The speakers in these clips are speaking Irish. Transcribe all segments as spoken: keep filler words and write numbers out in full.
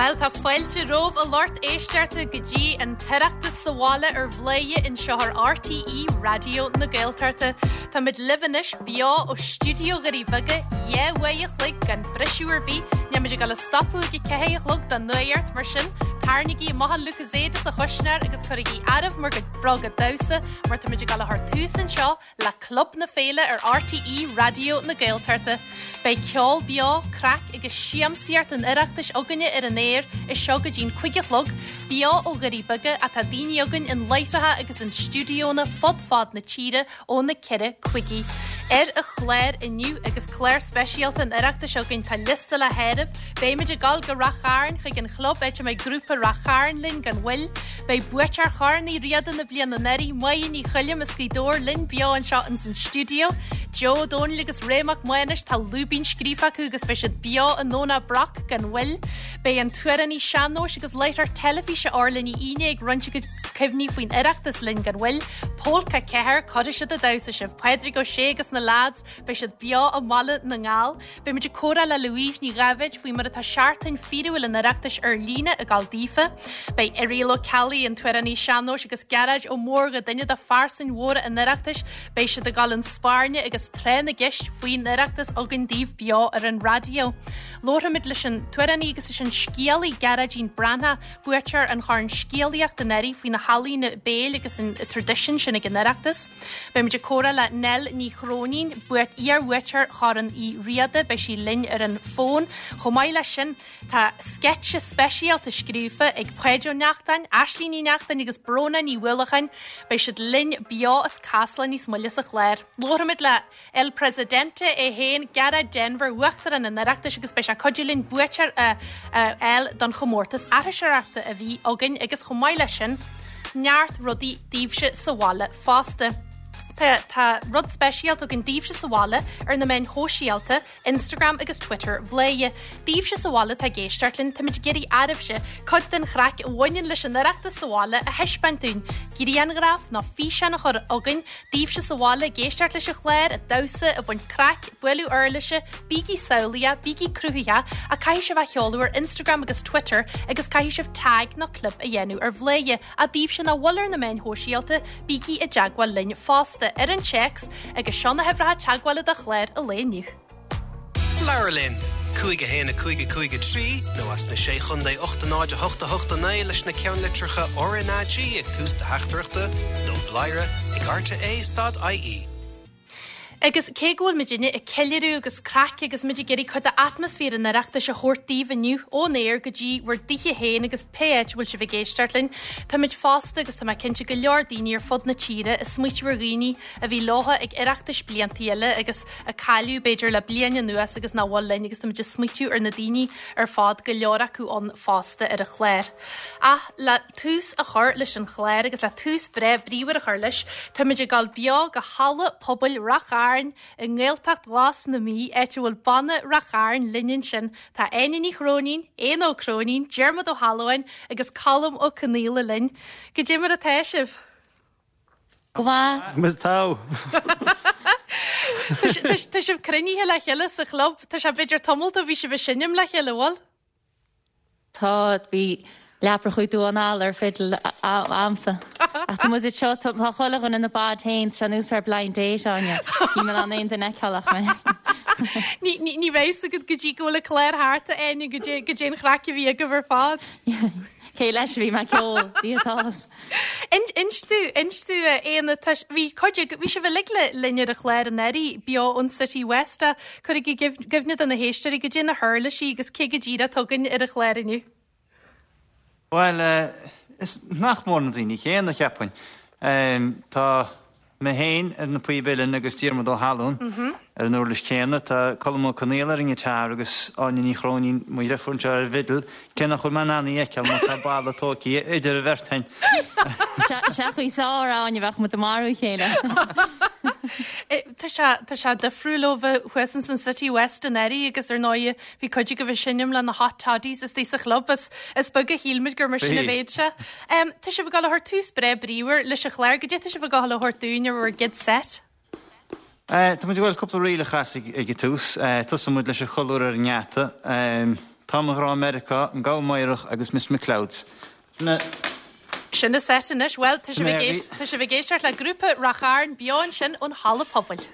Bhuel tá fáilte romhaibh a lucht éisteachta go dtí an tOireachtas sa bhaile ar Bhladhaire anseo ar RTÉ Raidió na Gaeltachta. Táimid libh anois beo ó stiúideo Dhoirí Beaga dhá uair a chloig gan briseadh ar bith, Nílimid ag dul a stopadh ag a ceathair a chlog don nuacht mar sin, tarraingígí amach an Lucozade sa chuisneoir agus cuirigí oraibh bhur gcuid bróga damhsa mar táimid ag dul a chur tús anseo le Club na Féile ar RTÉ Raidió na Gaeltachta. Beidh ceol beo, craic agus siamsaíocht an Oireachtais againne ar an aer as seo go dtí'n cúig a chlog, beo ó Dhoirí Beaga atá daoine againn in láithreacha agus in stiúideonna fud fad na tíre ó na ceithre cúigí. Ar an chlár inniu agus clár speisialta an Oireachtais againn tá liosta le háireamh, Beimid ag dul go Ráth Chairn chuig an chlub áit a mbeidh grúpa Ráth Chairn linn gan mhoill, Beidh buaiteoir Chorn Uí Riada na bliana anuraidh Máire Ní Choilm as Gaoth Dobhair linn beo anseo ins an stiúideo. Joe Dónaill agus Ray Mac Mánais tá lúibín scríofa acu agus beidh siad beo i nDomhnach Broc gan mhoill. Beidh an t-amhránaí sean-nóis agus láithreoir teilifíse Orla Ní Fhínne ag roinnt a cuid cuimhní faoin Oireachtas linn gan mhoill. Pólca ceathair cuirfidh siad ag damhsa sibh Pádraig Ó Sé agus na lads beidh siad beo i mBaile na nGall. Beimid ag comhrá le Louise Ní Dháibhéid faoi mar atá seachtain fíorúil an Oireachtais ar líne ag dul daofa. Beidh Irial Ó Ceallaigh an t-amhránaí sean-nóis agus Gearóid Ó Mórdha duine de phearsain mhóra an Oireachtais, beidh siad ag dul chun spairne agus tráth na gceist faoin Oireachtas againn daoibh beo ar an raidió. Labharfaimid leis an t-amhránaí agus leis an scéalaí Gearóidín Breathnach, buaiteoir an Chorn Scéalaíocht anuraidh faoi na healaíona béil agus an traidisiún sin ag an Oireachtas. Beimid ag comhrá le Nell Ní Chróinín, iar-bhuaiteoir Chorn Uí Riada, beidh sí linn ar an bhfón. Chomh maith leis sin tá sceitse speisialta scríofa ag Páid Ó Neachtain, Aislinn Ní Neachtain agus Bróna Ní Bhualacháin, beidh siad linn beo as Casla níos moille sa chlár. Labharfaimid le El Presidente é féin Gearóid Denvir Uachtarán an Oireachtais agus beidh sé ag cuidiú linn buaiteoir a fháil don chomórtas aithriseoireachta a bhí againn agus chomh maith leis sin neart rudaí daoibhse sa bhaile fosta. Tá, tá rud speisialta againn daoibhse sa bhaile ar na meáin shóisialta, Instagram agus Twitter Bhladhaire. Daoibhse sa bhaile atá ag éisteacht linn táimid ag iarraidh oraibhse, cuid den chraic a bhaineann leis an Oireachtas sa bhaile a thaispeáint dúinn, Grianghraf nó físeán a chur chugainn, daoibhse sa bhaile ag éisteacht leis an chlár, ag damhsa, ag baint craic, bualadh uirlise, bígí samhlaíoch, bígí cruthaitheach a caithfidh sibh a sheoladh ar Instagram agus Twitter agus caithfidh sibh tag nó clip a dhéanamh ar Bhladhaire a daoibhse nach bhfuil ar na meáin shóisialta, bígí i dteagmháil linn fosta ar an téacs agus seo na huimhreacha teagmhála do chlár an lae inniu. Labhair linn, cúig a haon a cúig a cúig a trí nó as na sé chontae ocht a náid a hocht a hocht a naoi leis na ceannlitreacha RnaG ag tús do theachtaireachta nó bladhaire ag RTÉ dot IE. Agus cé go bhfuil muidinne ag ceiliúradh agus craic agus muid ag iarraidh cuid d'atmaisféar an Oireachtais a thabhairt daoibh inniu ón aer go dtí bhur dtithe féin agus pé áit a bhfuil sibh ag éisteacht linn. Táimid fosta agus tá mé cinnte go leor daoine ar fud na tíre ag smaoitiú ar dhaoine a bhí leo ag Oireachtais blianta eile agus a cailleadh b'fhéidir le bliain anuas agus nach bhfuil linn agus táimid ag smaoitiú ar na daoine ar fad go leor acu ann fosta ar an chlár. Ach le tús a chur leis an chlár agus le tús breá bríomhar a chur leis, táimid ag dul beo go halla pobail Ráth Chairn i nGaeltacht Ghlas na Mí áit a bhfuil banna Ráth Chairn linn ansin. Tá Áine Ní Chróinín, Éanna Ó Cróinín, Diarmuid Ó hAlmhain agus Colm Ó Conghaile linn. Goidé mar atá sibh. Go maith. Mis tá. Tá sibh cruinnithe le chéile sa chlub, Tá sé b'fhéidir tamall ó bhí sibh ag seinm le chéile bhfuil? Tá bhí leaprachu dú an ar fiddle agamsa. Ach tá muid seo tá chuile dhuine ina bád féin tá nós ar blind date Áine. Ní me an aon duine feiceálach mé. Ní ní bheidh agat go dtí go bhfuil an clár thart Áine go dtí go dtí an chraic a bhí agaibh ar fad. Cé leis bhí mé ceol díotás. Instú instú Éanna bhí cuid bhí sibh uilig le linn ar an chlár anuraidh beo ón City West a cuir i gcuimhne do na héisteoirí goidé na huirlisí agus cé go díreach atá againn ar an chlár inniu. Well, uh, is nach mór na daoine céanna cheapfainn. Um, tá mé féin ar na píob uilleann agus Diarmuid Ó hAlmhain ar an uirlis céanna tá Colm Ó Conghaile ar an ngiotár agus Áine Ní Chróinín mo dheirfiúr anseo ar an bhfidil, cé nach bhfuil mé in ann í a fheiceáil mar tá balla tógtha idir an bheirt againn. Seachaí sár Áine bheadh muid ag marú a chéile. Tá sé tá sé difriúil ó bheith thuas san City West anuraidh agus ar ndóigh bhí cuid agaibh ag seinm le na Hot Toddies is sa chlub is is beag a shíl muid gur mar sin a bheadh sé. Um, tá sibh ag dul a thabhairt tús breá bríomhar leis an chlár, goidé tá sibh ag dul a thabhairt dúinn ar bhur gcéad set. Uh, Tá muid ag dul cúpla ríl a chasadh ag ag tús, uh, Tosóidh muid leis an cholúr ar an ngeata. Um, Tá mo Ghrá i Meiriceá, An Gabha Meidhreach agus Miss McLeod's. Na. Sin an seit anois. Bhuel, tá sibh ag éisteacht le grúpa Rath Chairn beo ansin ón Halla Pobail.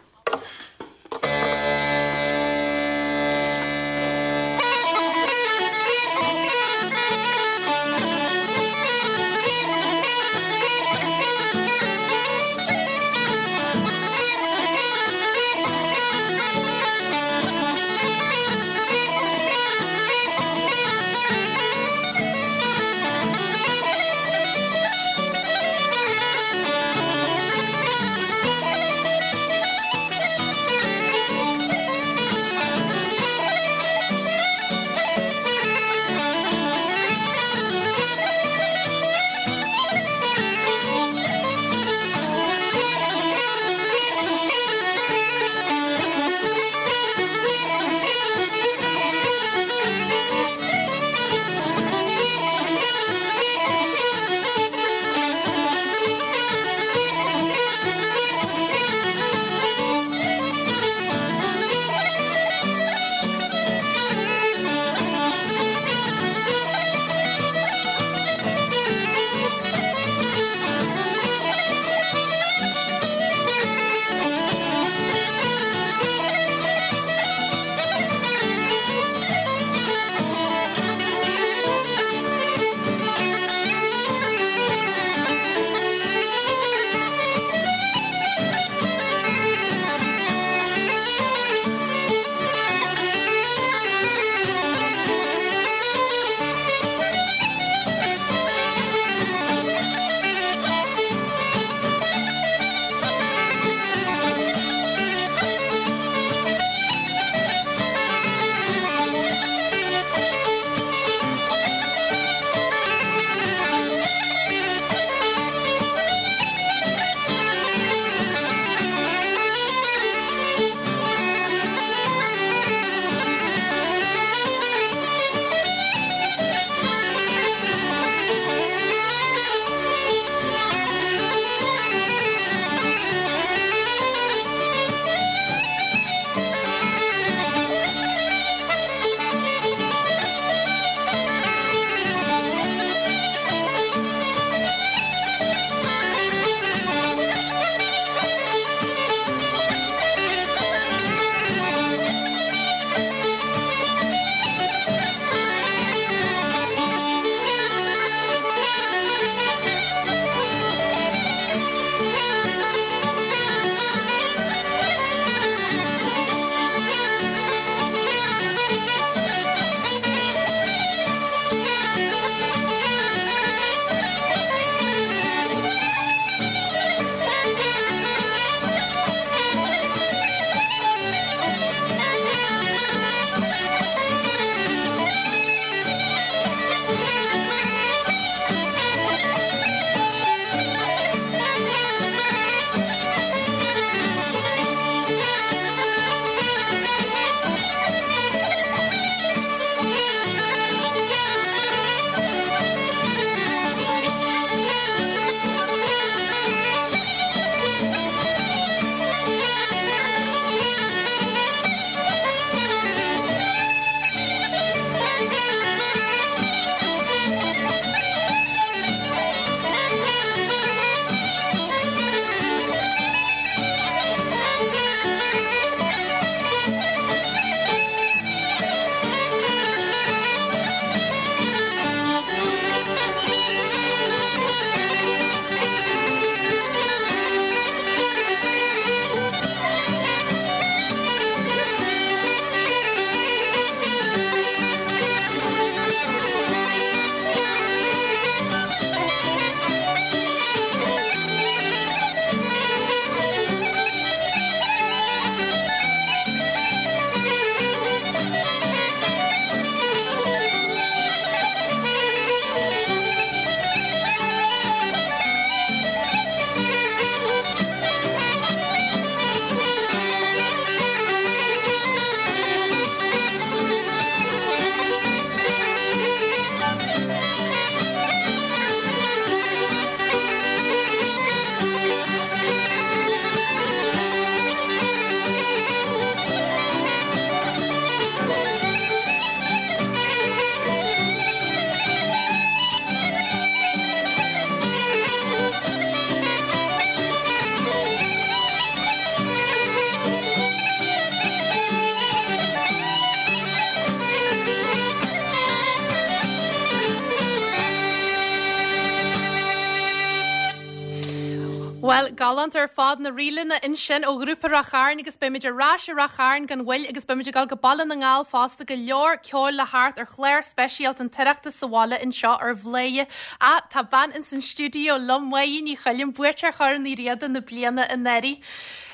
Bhuel, galánta ar fad na ríleanna ansin ó ghrúpa Ráth Chairn agus beimid ar ais i Ráth Chairn gan mhoill agus beimid ag dul go Baile na nGall fosta go leor ceoil le theacht ar chlár speisialta an tOireachtas sa bhaile anseo ar Bhladhaire. Á, tá bean ins an stiúideo liom Máire Ní Choilm, buaiteoir Chorn Uí Riada na bliana anuraidh.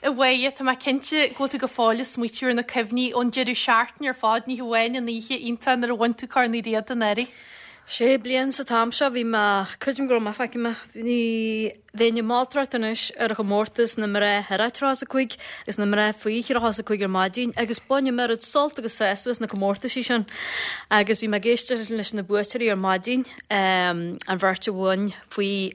A Mháire, tá mé cinnte go bhfuil tú go fóill ag smaoitiú ar na cuimhní ón deireadh seachtaine ar fad, ní hamháin an oíche iontach nuair a bhain tú Corn Uí Riada anuraidh. Sé bliain sa t-am seo bhí mé, creidim go raibh mé, feicfidh mé, ní bheinn ag moltóireacht anois ar chomórtas na mná thar a tríocha a cúig agus na mná faoi thríocha a cúig ar maidin agus bainim oiread sult agus sásamh as na comórtaisí sin. Agus bhí mé ag éisteacht leis na buaiteoirí ar maidin, an bheirt a bhain faoi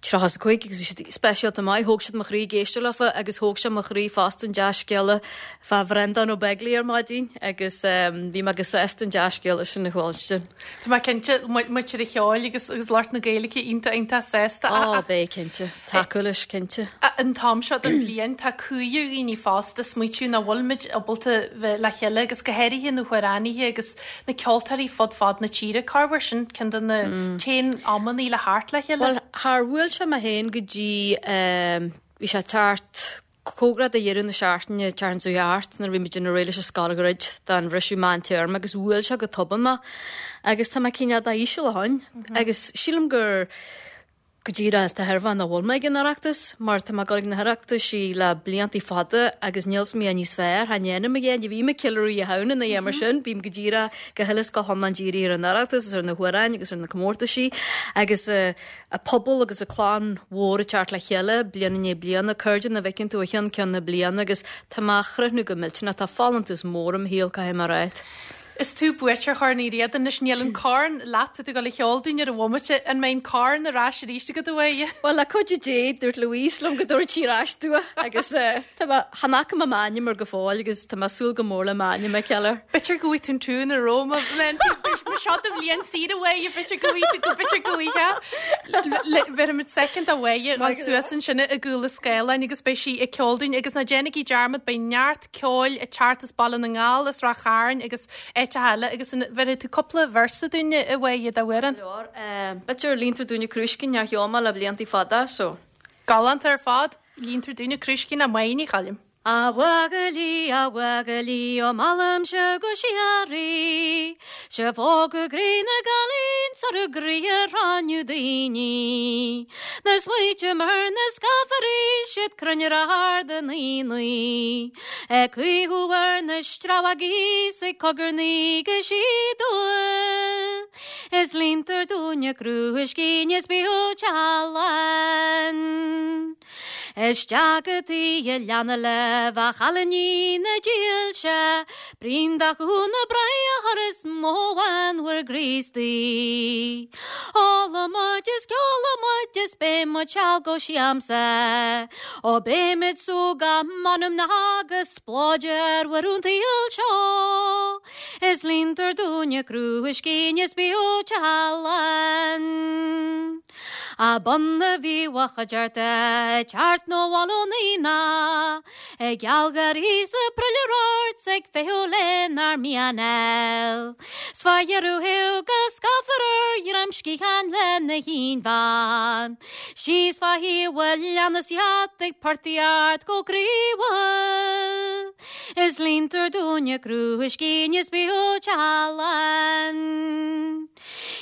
tríocha a cúig agus bhí siad speisialta maith, thóg siad mo chroí ag éisteacht leofa agus thóg sé mo chroí fosta an dea-scéala fá Bhreandán Ó Beaglaoich ar maidin agus bhí mé go sásta an dea-scéala sin a chuala. Tá mé cinnte muintir an cheoil agus agus lucht na Gaeilge iontach iontach sásta. Ó, beidh cinnte, tacú leis cinnte. An t-am seo den bhliain tá cumha ar dhaoine fosta smaoitiú nach bhfuil muid ábalta bheith le chéile agus go háirithe na hamhránaithe agus na ceoltóirí fud fad na tíre. Cá bhfuair sin ceann de na t-aon amannaí le theacht le chéile? Bhuel, char bhuail sé mé féin go dtí bhí sé thart cóngarach do dheireadh na seachtaine tseachtain seo thart nuair a bhí muid ag déanamh réidh leis an scoilghrid don bhriseadh meántéarma agus bhuail sé go tobann mé agus tá mé cineál dá-íseal ó shin agus sílim gur go díreach de thairbhe nach bhfuil mé ag an Oireachtas mar tá mé ag dul ag na hOireachtaisí le bliantaí fada agus níl 's mé níos fearr, chan dhéanaim a dhéanamh, ní bhím ag ceiliúradh Oíche Shamhna ná a dhath mar sin, bím go díreach go huile is go hiomlán dírithe ar an Oireachtas agus ar na hamhráin agus ar na comórtaisí agus a pobal agus a clann mhór ag teacht le chéile bliain i ndiaidh bliana, cairde nach bhfeiceann tú ó cheann ceann na bliana agus tá mé á chríochnú go millteanach, tá folúntas mór im shaol, caithfidh mé a ráit. Is tú buaiteoir Chorn Uí Riada anois, níl an corn leat, tá tú ag dul a cheol dúinn ar an bhomaite, an mbeidh an corn ar ais arís agat a Mháire? Bhuel, le cuidiú Dé, dúirt Louise liom go dtabharfadh sí ar ais domh agus tá mé, chan fhaca mé m'ainm air go fóill agus tá mé ag súil go mór le m'ainm a fheiceáil air. B'fhéidir go bhfaighidh tú an tiún ar Roma, má seo do bhliain saoire a Mháire, b'fhéidir go bhfaighidh tú, go b'fhéidir go bhfaighidh. Bhéarfaimid soicind do Mháire dhul suas ansin i gcúl an scáileáin agus beidh sí ag ceol dúinn agus ná déanaigí dearmad, beidh neart ceoil ag teacht as Baile na nGall, as Ráth Chairn agus áiteacha eile agus an bhéarfaidh tú cúpla véarsa dúinne a Mháire d'amhrán? Leor. B'fhéidir Líontar Dúinne Crúiscín nár cheol mé le bliantaí fada so. Galánta ar fad, Líontar Dúinne Crúiscín le Máire Ní Choilm. A bhuachaillí, a bhuachaillí, ó mheallaimse go síoraí, Sibh óg go gcroí na gcailín 's ar a gcroí a ráineodh daoine. Nuair smaoitím ar na scafairí, siad cruinn ar ard an aonaigh, Ag caochadh ar na sreabhaigí 's ag cogarnaigh go síodúil, Is líontar dúinne crúiscín is bíodh teallán. Isteach go tigh an leanna libh a chailíní na dílse, Braon de chú na bráthar is mo bhean bhur gCríostaí. Ólfaidh muid is ceolfaidh muid is beidh muid seal go siamsa, Ó beimid sú go m'anam ná go splóid ar bhur an tsaoil seo. Is líontar dúinne crúiscín is bíodh teallán. A bun a bhí a chuideachta ag teacht nó bhail ón aonach, Ag gealgháirí 's ag prilleadh ort 's ag feitheamh lenár mianal. 'S fá dheireadh thiar go scáfar ar dhroim sciatháin lena haonbhean, Síos fá thaobh an leanna 's iad ag portaíocht go croíúil. Is líontar dúinne crúiscín is bíodh teallán.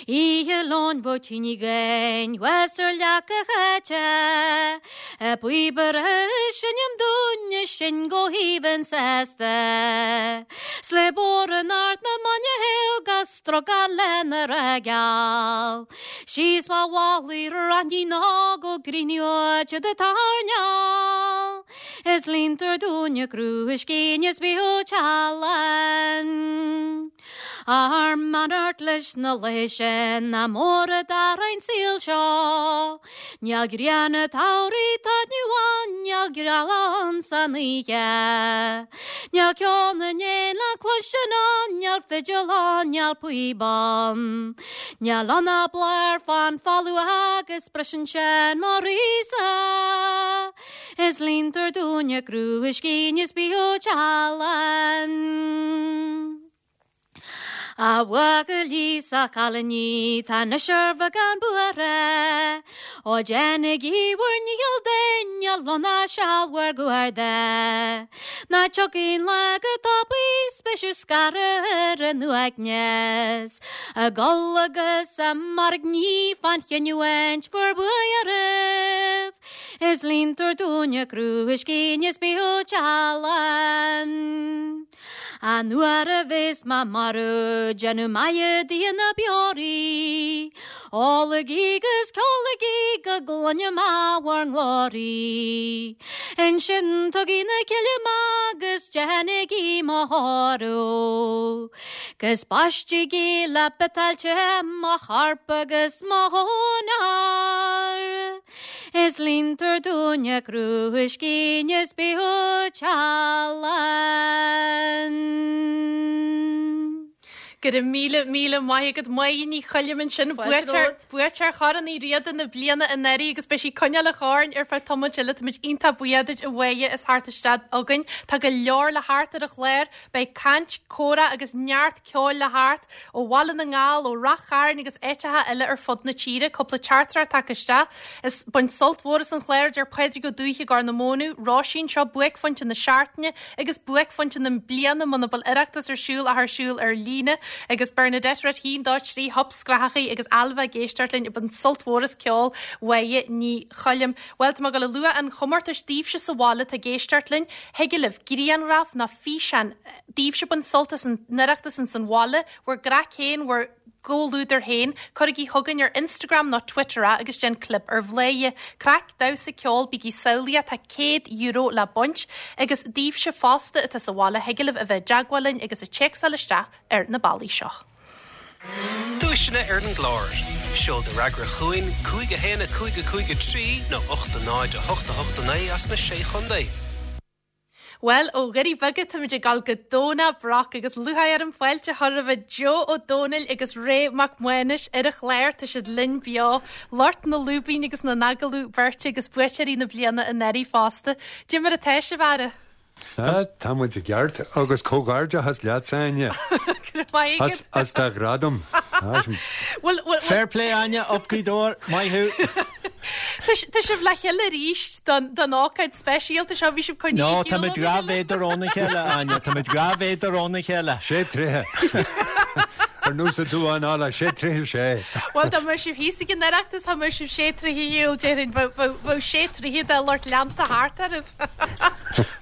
Oíche Luain bheadh tine againn thuas ar leac an cháite, A bpíobaire ag seinm dúinn is sinn go haoibhinn sásta. 'S le bodhrán ard na mban a théadh ag strogáil lena rageall, Síos fá mhálaí raithní nó go gcríochnódh siad an t-airneál. Is líontar dúinne crúiscín is bíodh teallán. Ár mbeannacht leis na laethe sin nach mór a d'athraigh an saol seo. Níl grian an tsamhraidh taitneamh ann, níl gealach ann san oíche. Níl ceol na n-éan le cloisint ann, níl fidil ann, níl píob ann. Níl ann ach bláth fán folamh agus briseann sé mo chroí-sa. Is líontar dúinne crúiscín is bíodh teallán. A bhuachaillí 's a chailíní tá anois ar bheagán buartha, Ó déanaigí bhur ndícheall duine lona seal bhur gcuarda. Ná tiocfaidh an lá go tapaidh 's beidh sibh scartha ar an uaigneas, Ag gol agus ag mairgní fán chinniúint bhur buaidh oraibh. Is líontar dúinne crúiscín is bíodh teallán. An uair a bheas mé marbh déanadh maith de na beoraí, Ólaigí 'gus ceolaigí go gcluine mé bhur nglóraí. Ansin tugaigí 'na cille mé 'gus déanaigí mo thórramh, 'Gus baistigí le biotáille te mo chorp agus mo chónair. Is líontar dúinne crúiscín is bíodh teallán. Go raibh míle míle maith agat Máire Ní Choilm ansin buaiteoir buaiteoir Chorn Uí Riada na bliana anuraidh agus beidh sí ag coinneáil an choirn ar feadh tamaill eile táimid iontach buíoch duit a Mháire as theacht isteach chugainn. Tá go leor le theacht ar an chlár, beidh caint, comhrá agus neart ceoil le theacht ó Bhaile na nGall, ó Rath Chairn agus áiteacha eile ar fud na tíre, cúpla teachtaireacht tagtha isteach. Is bain sult mhór as an chlár deir Pádraig Ó Dúiche Gor na Mónadh, Róisín seo buaicphointe na seachtaine agus buaicphointe na bliana muna bhfuil Oireachtas ar siúl ach ar siúl ar líne agus Bernadette Ret haon dó trí hop scrathachaí agus Ailbhe ag éisteacht linn bain sult mhór as ceol Mháire Ní Choilm. Well tá mé ag gabháil a lua an chomórtais daoibhse sa bhaile atá ag éisteacht linn, thig libh grianghraf nó físeán daoibhse ag baint sult as an Oireachtas ins an bhaile, bhur gcraic féin, bhur gcomhluadar féin, cuirigí chugainn ar Instagram nó Twitter é agus déan clib ar Bhladhaire. Craic, damhsa, ceol, bígí samhlaíoch tá céad euro le baint agus daoibhse fosta atá sa bhaile thig libh a bheith i dteagmháil linn agus ag téacsáil isteach ar na bealaí seo. Duaiseanna ar an gclár. Seol do fhreagra chugainn cúig a haon a cúig a cúig a trí nó ocht a náid a hocht a hocht a naoi as na sé chontae. Well ó Dhoirí Beaga táimid ag dul go Domhnach Broc agus lúcháir orm fáilte a chur roimh Joe Ó Dónaill agus Ray Mac Mánais ar an chlár tá siad linn beo, lucht na lúibín agus na n-agallamh beirte agus buaiteoirí na bliana anuraidh fosta. Cad é mar atá sibh a fheara. Ah, tá muid i gceart agus comhghairdeachas leat Áine. As as do ghradam. Well, well, Fair play Áine up Gaoth Dobhair maith thú. Tá sibh le chéile arís don don ócáid speisialta seo bhí sibh coinní No tá muid dhá mhéadar óna chéile Áine, Tá muid dhá mhéadar óna chéile. Sé troithe. Ar nós an duán alla sé troithe sé. Well dá mbeadh sibh thíos ag an Oireachtas dá mbeadh sibh sé troithe shiúl déarfainn bheadh sé troithe de lucht leanta thart oraibh.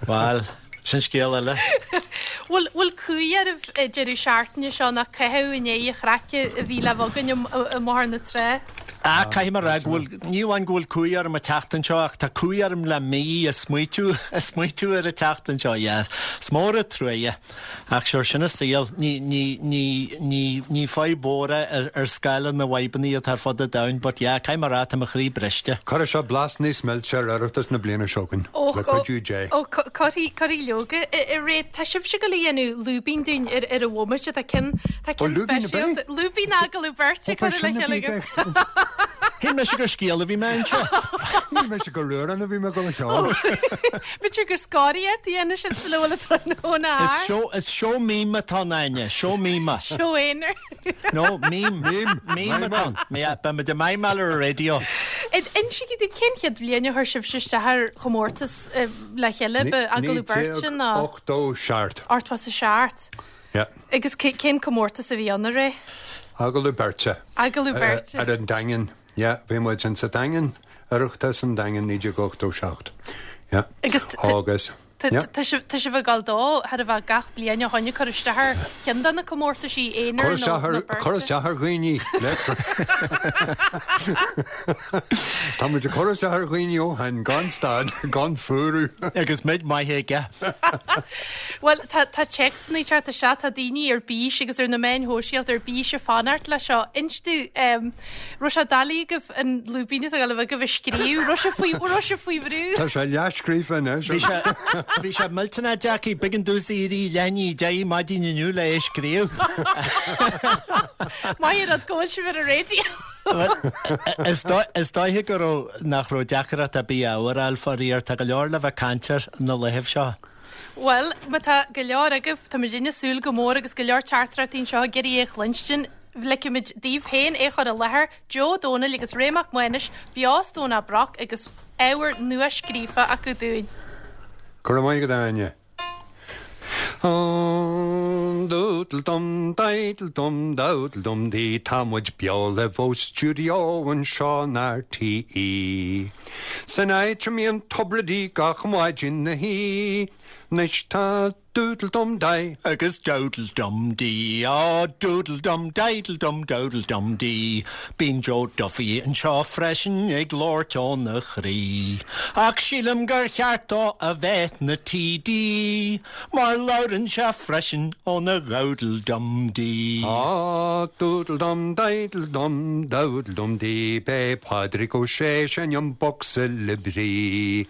Well, sin scéal eile. Bhfuil bhfuil cumhaidh oraibh deireadh seachtaine seo nach caitheamh i ndiaidh an chraice a bhí le bheith againn i mBóthar na Trá. Ah, caithfidh mé a rá go bhfuil ní amháin go bhfuil cumhaidh orm an tseachtain seo ach tá cumhaidh orm le mí ag smaoitiú ag smaoitiú ar an tseachtain seo, yeah. Is mór an truaighe. Ach sure sin an saol ní ní ní ní ní fadhb mhór é ar ar scála na bhfadhbanna atá ar fud an domhain, but yeah, caithfidh mé a rá tá mo chroí briste. Cuirfidh seo blas níos milse ar Oireachtas na bliana seo chugainn le cuidiú Dé. Ó cuirfidh cuirfidh leoga i ré tá sibhse ag gabháil a dhéanamh lúibín dúinn ar ar an bhomaite tá cinn tá Ó, cinn lúibín a speisialta lúibín agallamh beirte Ó, curtha le sin a chéile bhí agaibh. gceist. Shíl mise gur scéal a bhí mé anseo. Shíl mise gur amhrán a bhí mé go cheol. B'fhéidir gur scoraíocht a dhéanamh sin sa bhfuil tráthnóna Is seó is seó mime atá ann Áine, seó mime. Seó aonair. No, mime. Mime. Mime atá ann. Yeah, beimid ag mimeáil ar an raidió. Insígí dúinn cén chéad bhliain a chuir sibh isteach ar chomórtas eh, le chéile ba agallamh beirte ná Ochtó seacht. ochtó a seacht. Yeah. Agus cé- cén comórtas a bhí ann a Ray? Agallamh beirte. Agallamh beirte. Ar an Daingean. Yeah, bhí muid in sa Daingean, Oireachtas an Daingean naoi déag ochtó seacht. Yeah. Agus t- t- Agus. Tá Yeah. tá sibh tá sibh ag gabháil dó thar a bheith gach bliain ó shin ag cur isteach ar cheann de na comórtaisí aonair Cur nó isteach nó ar- cur beirte. isteach ar dhaoine. Tá muid ag cur isteach ar dhaoine ó shin gan stad gan fuarú. Agus muid maith aige. Well tá tá téacsanna ag teacht isteach tá daoine ar bís agus ar na meáin shóisialta ar bís ag fanacht le seo. Inis dúinn raibh sé doiligh agaibh an lúibín atá le bheith agaibh a scríobh, raibh sé faoi raibh sé faoi bhrú. Tá sé leathscríofa anois. Bhí sé bhí sé millteanach deacair b'éigean domhsa éirí leath i ndiaidh a deich maidin inniu le é scríobh. Maith rud go bhfuil sibh ar an raidió. Is dó- is dóiche go raibh nach raibh deacracht ar bith ábhar a fháil faraor tá go leor le bheith ag caint air na laethanta seo. Well, má tá go leor agaibh tá muid ag súil go mór agus go leor teachtaireachtaí anseo ag iarraidh é a chluinstin ligfimid daoibh féin é chur i láthair Joe Dónaill agus Ray Mac Maonais beo as Domhnach Broc agus ábhar nua scríofa acu dúinn. Go raibh maith agat Áine. Doodle dum diddle dum dowdle dum dee Tá muid beo libh ó stiúideo anseo in RTÉ. San áit a mbíonn Tubridy gach maidin 'na shuí, Anois tá doodle dum dai agus dowdle dum dee á doodle dum diddle dum dowdle dum dee Bíonn Joe Duffy anseo freisin ag labhairt óna chroí. Ach sílim gur cheart dó a bheith 'na TD, mar labhrann sé freisin óna dhowdle dum dee. Á doodle dum diddle dum dowdle dum dee Beidh Pádraig Ó Sé ag seinm bocsa le brí.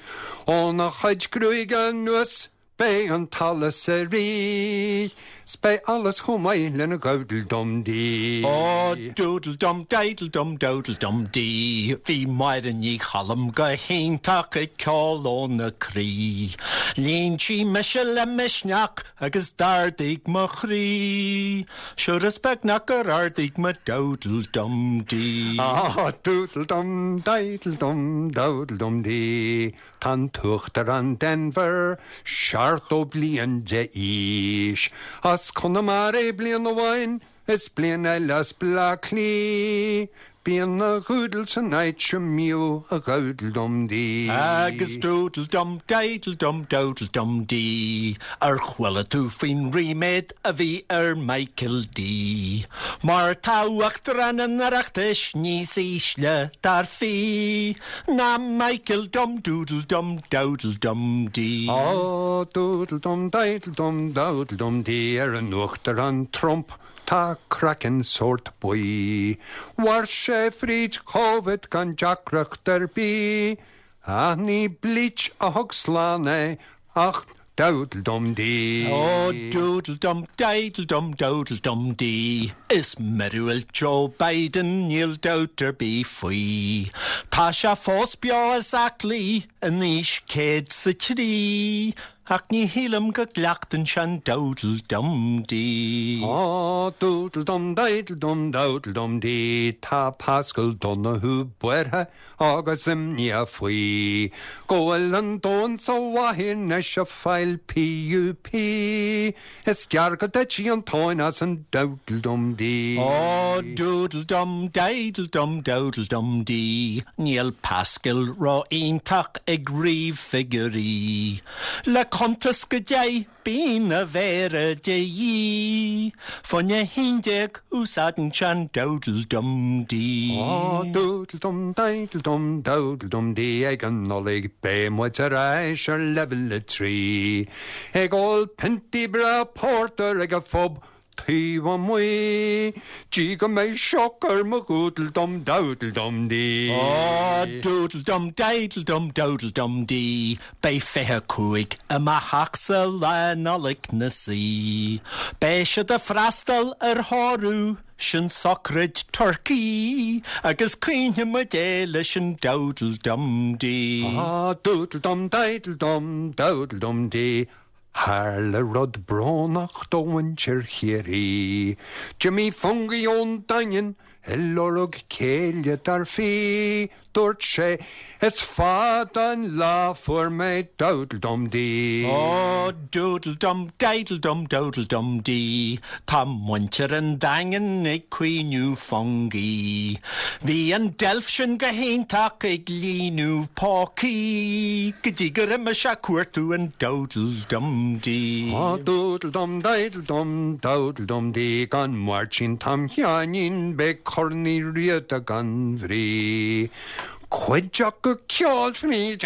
Óna chuid gruaige anuas beidh an t-allas ag rith, 's beidh allas chomh maith lena dhowdle dum dee. Ó doodle dum diddle dum dowdle dum dee, Bhí Máire Ní Choilm go hiontach ag ceol óna croí. Líon sí mise le misneach agus d'ardaigh mo chroí. Sure is beagnach gur ardaigh mo dowdle dum dee. Ah, doodle dum diddle dum dowdle dum dee, Tá an tUachtarán Denvir seachtó bliain d'aois. As Conamara bliain amháin is bliain eile as Bleá Cliath. Bíonn a dhúdal san áit sem míú a gabdal dom dí. Agus doodle dum diddle dum dowdle dum dee, Ar chuala tú faoin ríméad a bhí ar Michael D. Mar tá Uachtarán an Oireachtais níos ísle dar fi, ná Michael dum doodle dum dowdle dum dee. Á doodle dum diddle dum dowdle dum dee ar an Uachtarán Trump tá craiceann sórt buí. Mhair sé fríd Covid gan deacracht ar bith, Ach ní bleach a thug slán é ach dowdle dum dee. Ó doodle dum diddle dum dowdle dum dee, Is míorúilt Joe Biden níl dabht ar bith faoi. Tá sé fós beo is aclaí in aois céad 's a trí, Ach ní shílim go gcleachtann sé an dowdle dum dee. Á doodle dum diddle dum dowdle dum dee, Tá Pascal Donoghue buartha agus imníoch faoi. Go bhfuil an domhan sa mhaith anois ag fáil PUP, Is gearr go dtitfidh an tóin as an dowdle dum dee. Ó doodle dum diddle dum dowdle dum dee, Níl Pascal ró-iontach ag ríomh figiúirí. Le cuntas go deich bíonn a mhéara de dhíth, Fá choinne haon déag úsáideann sé an dowdle dum dee. Á doodle dum diddle dum dowdle dum dee ag an Nollaig beidh muid ar ais ar leibhéal a trí. Ag ól piontaí breá pórtair ag an phub taobh amuigh, Dtí go mbeidh sioc ar mo dhoodle dum dowdle dum dee. Ó doodle dum diddle dum dowdle dum dee, Beidh fiche cúig i mo theachsa Lá Nollag 'na suí. Beidh siad ag freastal ar thórramh sin sochraid turcaí, agus caoinfidh muid é leis an dowdle dum dee. Ah, doodle dum diddle dum dowdle dum dee. Tharla rud brónach do mhuintir Chiarraí. Jimmy Fungie ón Daingean ag lorg céile dar fi, Dúirt sé is fada an lá fuair mé dowdle dum dee. Ó doodle dum diddle dum dowdle dum dee, Tá muintir an Daingin ag caoineadh Fungie. Bhí an deilf sin go hiontach ag líonadh pócaí, Go dtí gur imigh sé ag cuartú an dowdle dum dee. Á doodle dum diddle dum dowdle dum dee gan Máirtín Tom Sheáinín beidh Corn Uí Riada gan bhrí. Cuid acu ag ceol fríd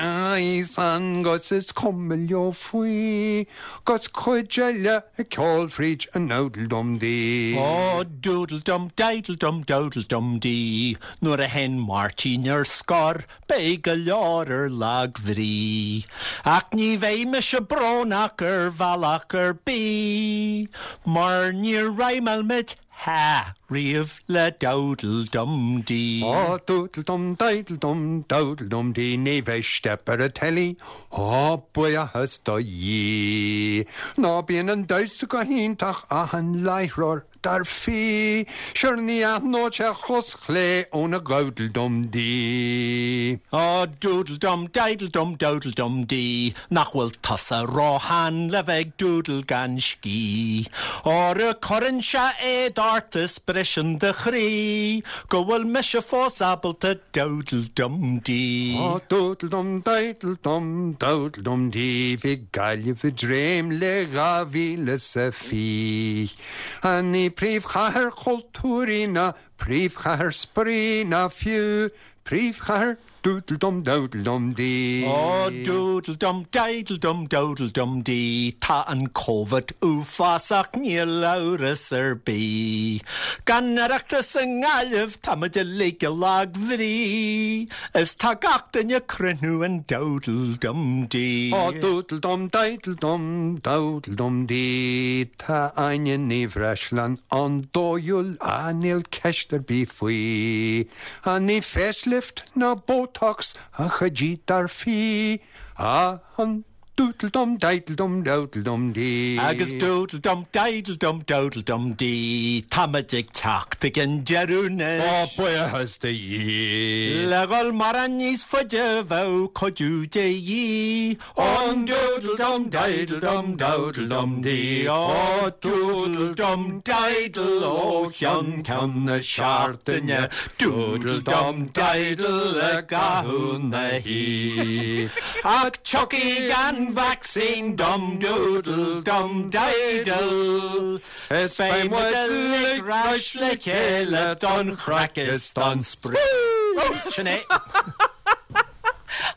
san 'gus is cuma leo faoi, 'Gus cuid eile ag ceol fríd an dowdle dum dee. Ó doodle dum diddle dum dowdle dum dee, Nuair a théann Máirtín ar scor beidh go leor ar lagbhrí. Ach ní bheidh mise brónach ar bhealach ar bith, Mar níor rhymeáil muid ha riamh le dowdle dum dee. Á doodle dum diddle dum dowdle dum dee ní bheidh steip ar an teilí Á buíochas do Dhia. Ná bíonn an damhsa go hiontach ach an láithreoir dar fia Sure ní aithneodh sé a chos chlé óna dhowdle dum dee. Á doodle dum diddle dum dowdle dum dee nach bhfuil tusa róshean le bheith ag doodle gan scíth. Óra cuireann sé éad ort is briseann do chroí go bhfuil mise fós ábalta dowdle dum dee. Á doodle dum diddle dum dowdle dum dee bhí Gaillimh i dréim le dhá mhíle is a fiche. A ní príomhchathair chultúir í ná príomhchathair spraoi ná fiú príomhchathair doodle dum dowdle dum dee. Ó doodle dum diddle dum dowdle dum dee Tá an Covid uafásach níl amhras ar bith. Gan Oireachtas i nGaillimh táimid uilig i lagbhrí, Is tá gach duine ag cruinniú in dowdle dum dee. Á doodle dum diddle dum dowdle dum dee Tá Áine Ní Bhreisleáin an-dóighiúil á níl ceist ar bith faoi. A ní facelift ná Botox a chuid dar fia á an doodle dum diddle dum dowdle dum dee. Agus doodle dum diddle dum dowdle dum dee Táimid ag teacht ag an deireadh anois. Á buíochas do Dhia. Le dhul mórán níos faide bheadh cuidiú de dhíth. An doodle dum diddle dum dowdle dum dee Á doodle dum diddle ó cheann ceann na seachtaine Doodle dum diddle i gcaitheamh na hoíche. Ach tiocfaidh an vaccine dum doodle dum diddle Is beidh muid uilig ar ais le chéile don chraic is don spraoi. Sin é.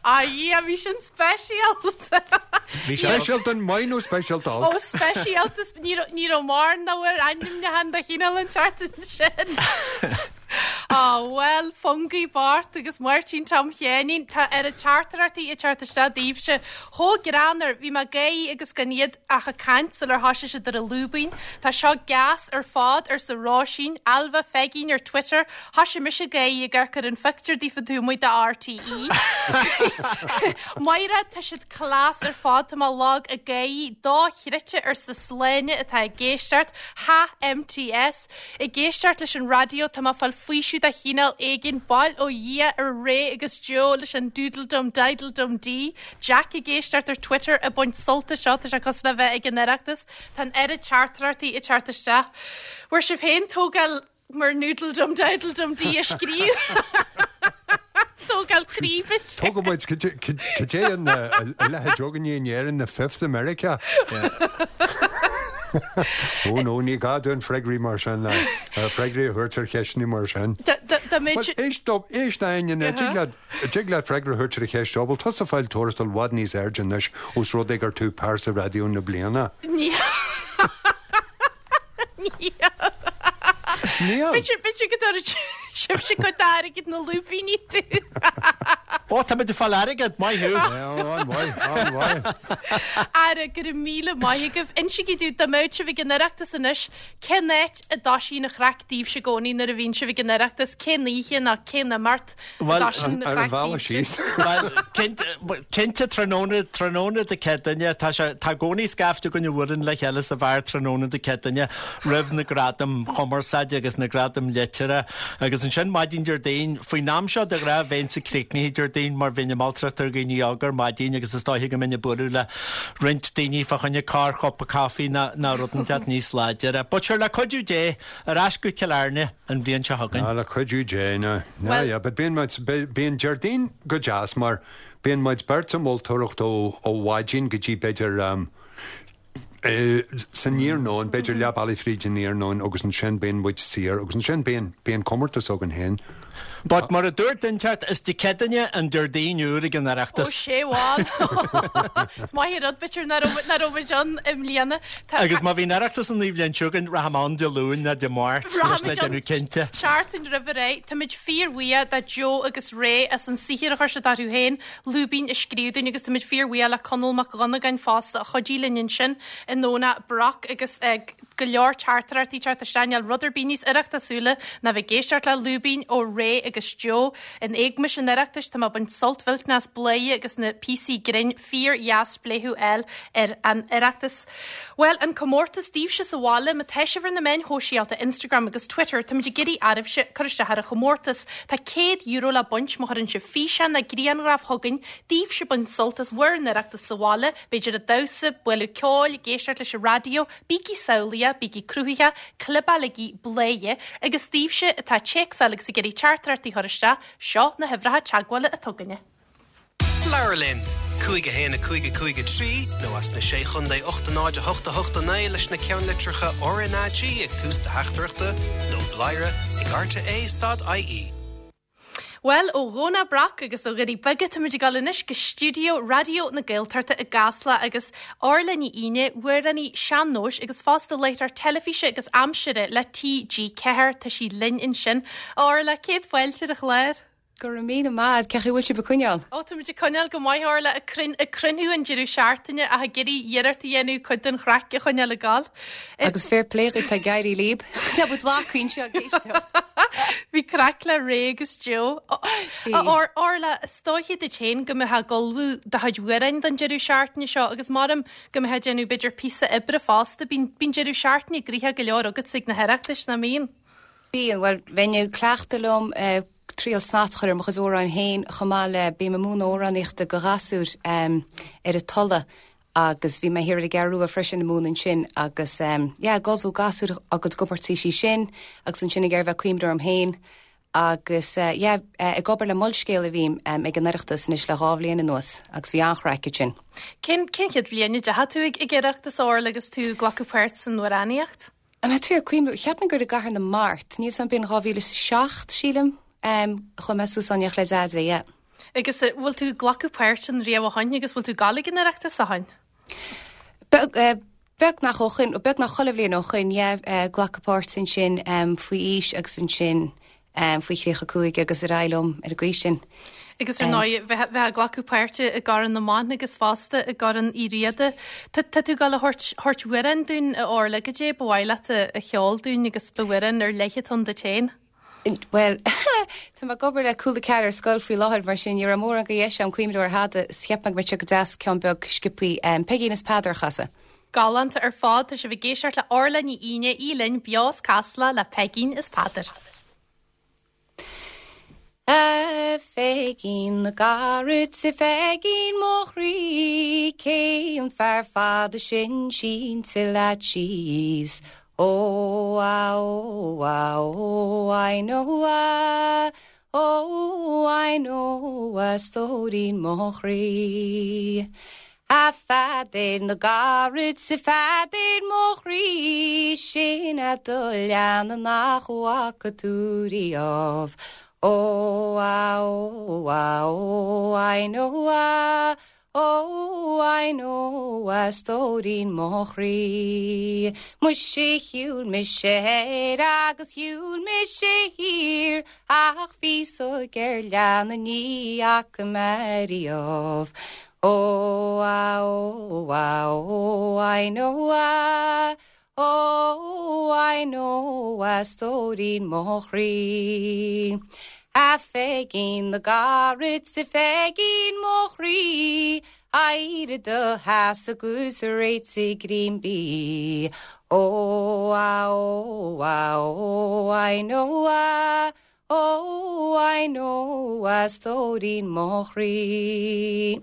A Dhia bhí sin speisialta. Bhí speisialta an maith nó speisialta olc? Ó speisialta ní raibh mar na bhfuil ainmneachan de chineál an tseachtain sin. Á bhuel, Fungie Bart agus Máirtín Tom Sheáinín, tá oiread teachtaireachtaí ag teacht isteach daoibhse. Chomh greannmhar, bhí mé ag gáirí agus gan iad ach ag caint sular thoisigh siad ar an lúibín. Tá seo gas ar fad arsa Róisín, Ailbhe Pheigín ar Twitter, thoisigh mise ag gáirí ag amharc ar an phictiúr daofa taobh amuigh de RTÉ. Máire, tá siad class ar fad, tá mé lag ag gáirí dochreidte arsa Sláine atá ag éisteacht, ha MTS. Ag éisteacht leis an raidió, tá mé ag fáil faoiseamh de chineál éigin, bail ó Dhia ar Ray agus Joe leis an doodle dum diddle dum dee. Jack ag éisteacht ar Twitter ag baint sult as seo, tá sé cosúil le bheith ag an Oireachtas. Tá an oiread teachtaireachtaí ag teacht isteach. Bhfuair sibh féin tógáil mar noodle dum diddle dum dee a scríobh. Tógáil croí bit. Tógadh muid cad é an a leithéid againne in Éirinn na Fifth America. Ó nó ní gá dúinn freagraí mar sin le freagraí a thabhairt ar cheisteanna mar sin. Dá mbeadh Éist éist Áine, tig leat tig leat freagra a thabhairt ar an cheist seo, bhfuil tusa ag fáil tuarastal i bhfad níos airde anois ós rud é gur tú pearsa raidió na bliana? Níl. Níl. Níl. B'fhéidir b'fhéidir go dtabharfaidh sibhse cuid d'airgead na lúibíní dúinn. Ó, tá muid ag fáil airgead, maith thú. An-mhaith, an-mhaith. Ara, go raibh míle maith agaibh. Insígí domh, dá mbeadh sibh ag an Oireachtas anois, cén áit a dtoisíonn an chraic daoibhse i gcónaí nuair a bhíonn sibh ag an Oireachtas? Cén oíche nó cén imeacht a Bhuel, dtoisíonn an Ar an chraic bhealach daoibhse? síos. Bhuel, cinnte, cinnte tráthnóna, tráthnóna Dé Céadaoine, tá sé, tá i gcónaí scaifte againn a bhuaileann le chéile sa bheár tráthnóna Dé Céadaoine roimh na gradaim chumarsáide agus na gradaim liteartha agus ansin maidin Déardaoin, faoin am seo de ghnáth bheinnse críochnaithe Déardaoin mar bheinn ag moltóireacht ar dhaoine óga ar maidin agus is dóiche go mbeinn ag bualadh le roinnt daoine fá choinne corrchupa caife ná ná rud inteacht níos láidire. But sure le cuidiú Dé ar ais go Cill Airne an bhliain seo chugainn. Ah, le cuidiú Dé ná. Ná, Well- yeah, but bíonn muid bíonn Déardaoin go deas mar bíonn muid beirt ag moltóireacht ó ó mhaidin go dtí b'fhéidir um, eh, san iarnóin, b'fhéidir leath bealaigh fríd an iarnóin agus ansin bíonn muid saor agus ansin bíonn bíonn comórtas againn féin. But mar a dúirt duine inteacht is Dé Céadaoine an Déardaoin úr ag an Ó Oireachtas. sé bháin. Is maith an rud b'fhéidir nach raibh nach raibh muid ann i mbliana. Tá- Agus má bhíonn Oireachtas an bhliain seo chugainn rachaidh mé ann Dé Luain nó Dé Máirt leis le déanamh cinnte. Seachtain roimh ré, Táimid fíorbhuíoch de Joe agus Ray as an saothar a chuir siad orthu féin, lúibín a scríobh dúinn agus táimid fíorbhuíoch le Conall Mac Dhonnagáin fosta a chuidigh linn ansin i nDomhnach Broc agus ag go leor teachtaireachtaí ag teacht isteach níl rud ar bith níos oireachtasúla ná bheith ag éisteacht le lúibín ó Ray agus Joe. In éagmais an Oireachtais tá mé ag baint sult mhillteanach as Bladhaire agus na píosaí grinn fíordheas spléachadh a fháil ar an Oireachtas. Well, an comórtas daoibhse sa bhaile má tá sibh ar na meáin shóisialta Instagram agus Twitter táimid ag iarraidh oraibhse cur isteach ar an chomórtas. Tá céad euro le baint má chuireann sibh físeán nó grianghraf chugainn daoibhse ag baint sult as bhur n-oireachtas sa bhaile, b'fhéidir ag damhsa, bualadh ceoil, ag éisteacht leis an raidió, bígí samhlaíoch, bígí cruthaitheach, clibeálaigí Bladhaire, agus daoibhse atá ag téacsáil agus ag iarraidh teachtaireachtaí a chur isteach, seo na huimhreacha teagmhála atá againne. Labhair linn, cúig a haon a cúig a cúig a trí nó as na Sé Chontae ocht a náid a hocht a hocht a naoi leis na ceannlitreacha RnaG ag tús do theachtaireachta nó bladhaire ag rte stad IE. Well, ó Dhomhnach Broc agus ó Dhoirí Beaga táimid ag dul anois go stiúideo Raidió na Gaeltachta i gCasla agus Orla Ní Aoine, amhránaí sean-nóis agus fosta láithreoir teilifíse agus aimsire le TG Ceathair tá sí linn ansin. Orla céad fáilte ar an chlár. Go raibh míle maith cén chaoi bhfuil sibh ag coinneáil. Ó Tá muid ag coinneáil go maith Orla ag cruinniú an deireadh seachtaine ach ag iarraidh iarracht a dhéanamh cuid den chraic a choinneáil ag gabháil. Agus fair play dhuit tá ag éirí libh Tá bud lá cuiinte géisteacht. Bhí craic le Ray agus Joe. Orla is dóiche duit féin go mbeifeá ag ullmhú do chuid amhráin don deireadh seachtaine seo agus maram go mbeifeá ag déanamh b'fhéidir píosa oibre fosta bíonn bíonn deireadh seachtaine gnoitheach go leor agat ag na hOireachtais nach mbíonn. Bíonn well bheinn ag cleachtadh liom uh, triail snas a chur ar mo chuid amhrán féin chomh maith le bím ag múineadh amhránaíochta do ghasúir um, ar an Tulaigh agus bhí mé thiar i gCeathrú Rua freisin ag múineadh ansin agus um, yeah, ag ullmhú gasúr agus gcomórtaisí sin agus ansin ag bheith cuimhneamh orm féin agus uh, yeah, uh, ag obair le Molscéal a bhím um, ag an Oireachtas anois le dhá bhliain anuas agus bhí an-chraic sin. Cén cén chéad bhliain a ndeachaigh tú ag ag Oireachtas Orla agus tú ag glacadh páirt san amhránaíocht? Am tú cuimú cheap gur i gCathair na Mart, níl san bin dhá mhíle seacht sílim um, chuaigh mé suas ann le Zaza, yeah. Agus eh, bhfuil tú ag glacadh páirt an riamh ó shin agus bhfuil tú ag gabháil ag an Oireachtas ó shin? Beagnach ó shin beagnach chuile bhliain ó shin yeah, glacadh páirt ansin um, faoi aois agus ansin um, faoi thríocha cúig agus ar aghaidh liom ar an gcaoi sin. Agus ar ndóigh bheith bheith ag glacadh páirte i gCorn na mBan agus fosta i gCorn Uí Riada. Tá tú ag gabháil a thabhairt thabhairt amhrán dúinn a Orla go dé ba mhaith leat a cheol dúinn agus ba amhrán ar leith atá duit féin. Well Tá mé ag obair le Cúla Ceathair ar scoil faoi láthair mar sin ní raibh mórán de dheis agam cuimhneamh ar thada cheap mé go deas ceann beag sciobtha um, Peigín is Peadar a chasadh. Galánta ar fad tá sibh ag éisteacht le Orla Ní Aoine í linn beo as Casla le Peigín is Peadar. A Pheigín na gcarad 's a Pheigín mo chroí cé an fear fada sin sínte leat síos. Oh, ah, oh, ah, oh, I know, ah, oh, I know, a stóirín mo chroí. A Pheadair na gcarad 's a Pheadair mo chroí sin a do leana nach bhfaca tú riamh. Oh, ah, oh, ah, oh, I know, ah, oh, I know, a stóirín mo chroí. Muise shiúil mise thoir agus shiúil mise thiar ach féasóg ar leanna ní fhaca mé riamh. Oh, ah, oh, ah, oh, I know, ah, oh, I know, a stóirín mo chroí. A Pheigín na gcarad 's a Pheigín mo chroí, éirigh i do sheasamh agus réitigh greim bídh. Oh, ah, oh, ah, oh, I know, ah, oh, I know, a stóirín mo chroí.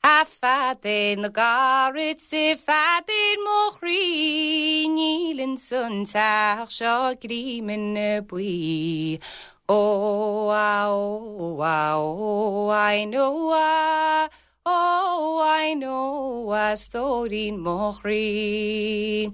A Pheadair na gcarad 's a Pheadair mo chroí, níl insan teach seo greim buí. Oh, ah, oh, ah, oh, I know, ah, oh, I know, a stóirín mo chroí.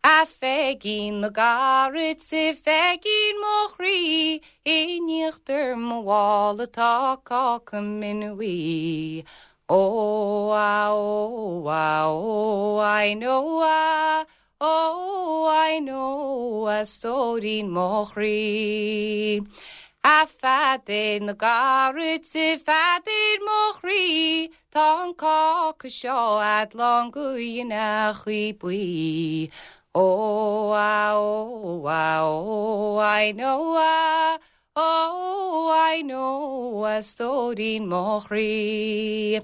A Pheigín na gcarad 's a Pheigín mo chroí, in íochtar mo mhála tá cáca mine buí. Oh, ah, oh, ah, oh, I know, ah, oh, I know, a stóirín mo chroí. A Pheadair na gcarad 's a Pheadair mo chroí, tá an cáca seo a'd lán go dhéine chuí buí. Oh, ah, oh, ah, oh, I know, ah, oh, I know, a stóirín mo chroí.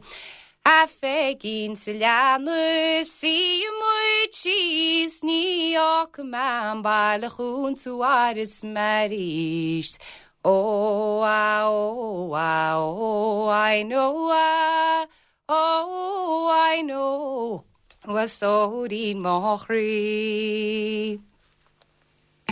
A Pheigín sa leanna suífidh muid síos ní fhágfaidh mé an baile chugat tú arís 's arís. Oh, ah, oh, ah, oh, I know, ah, oh, I know, a stóirín mo chroí.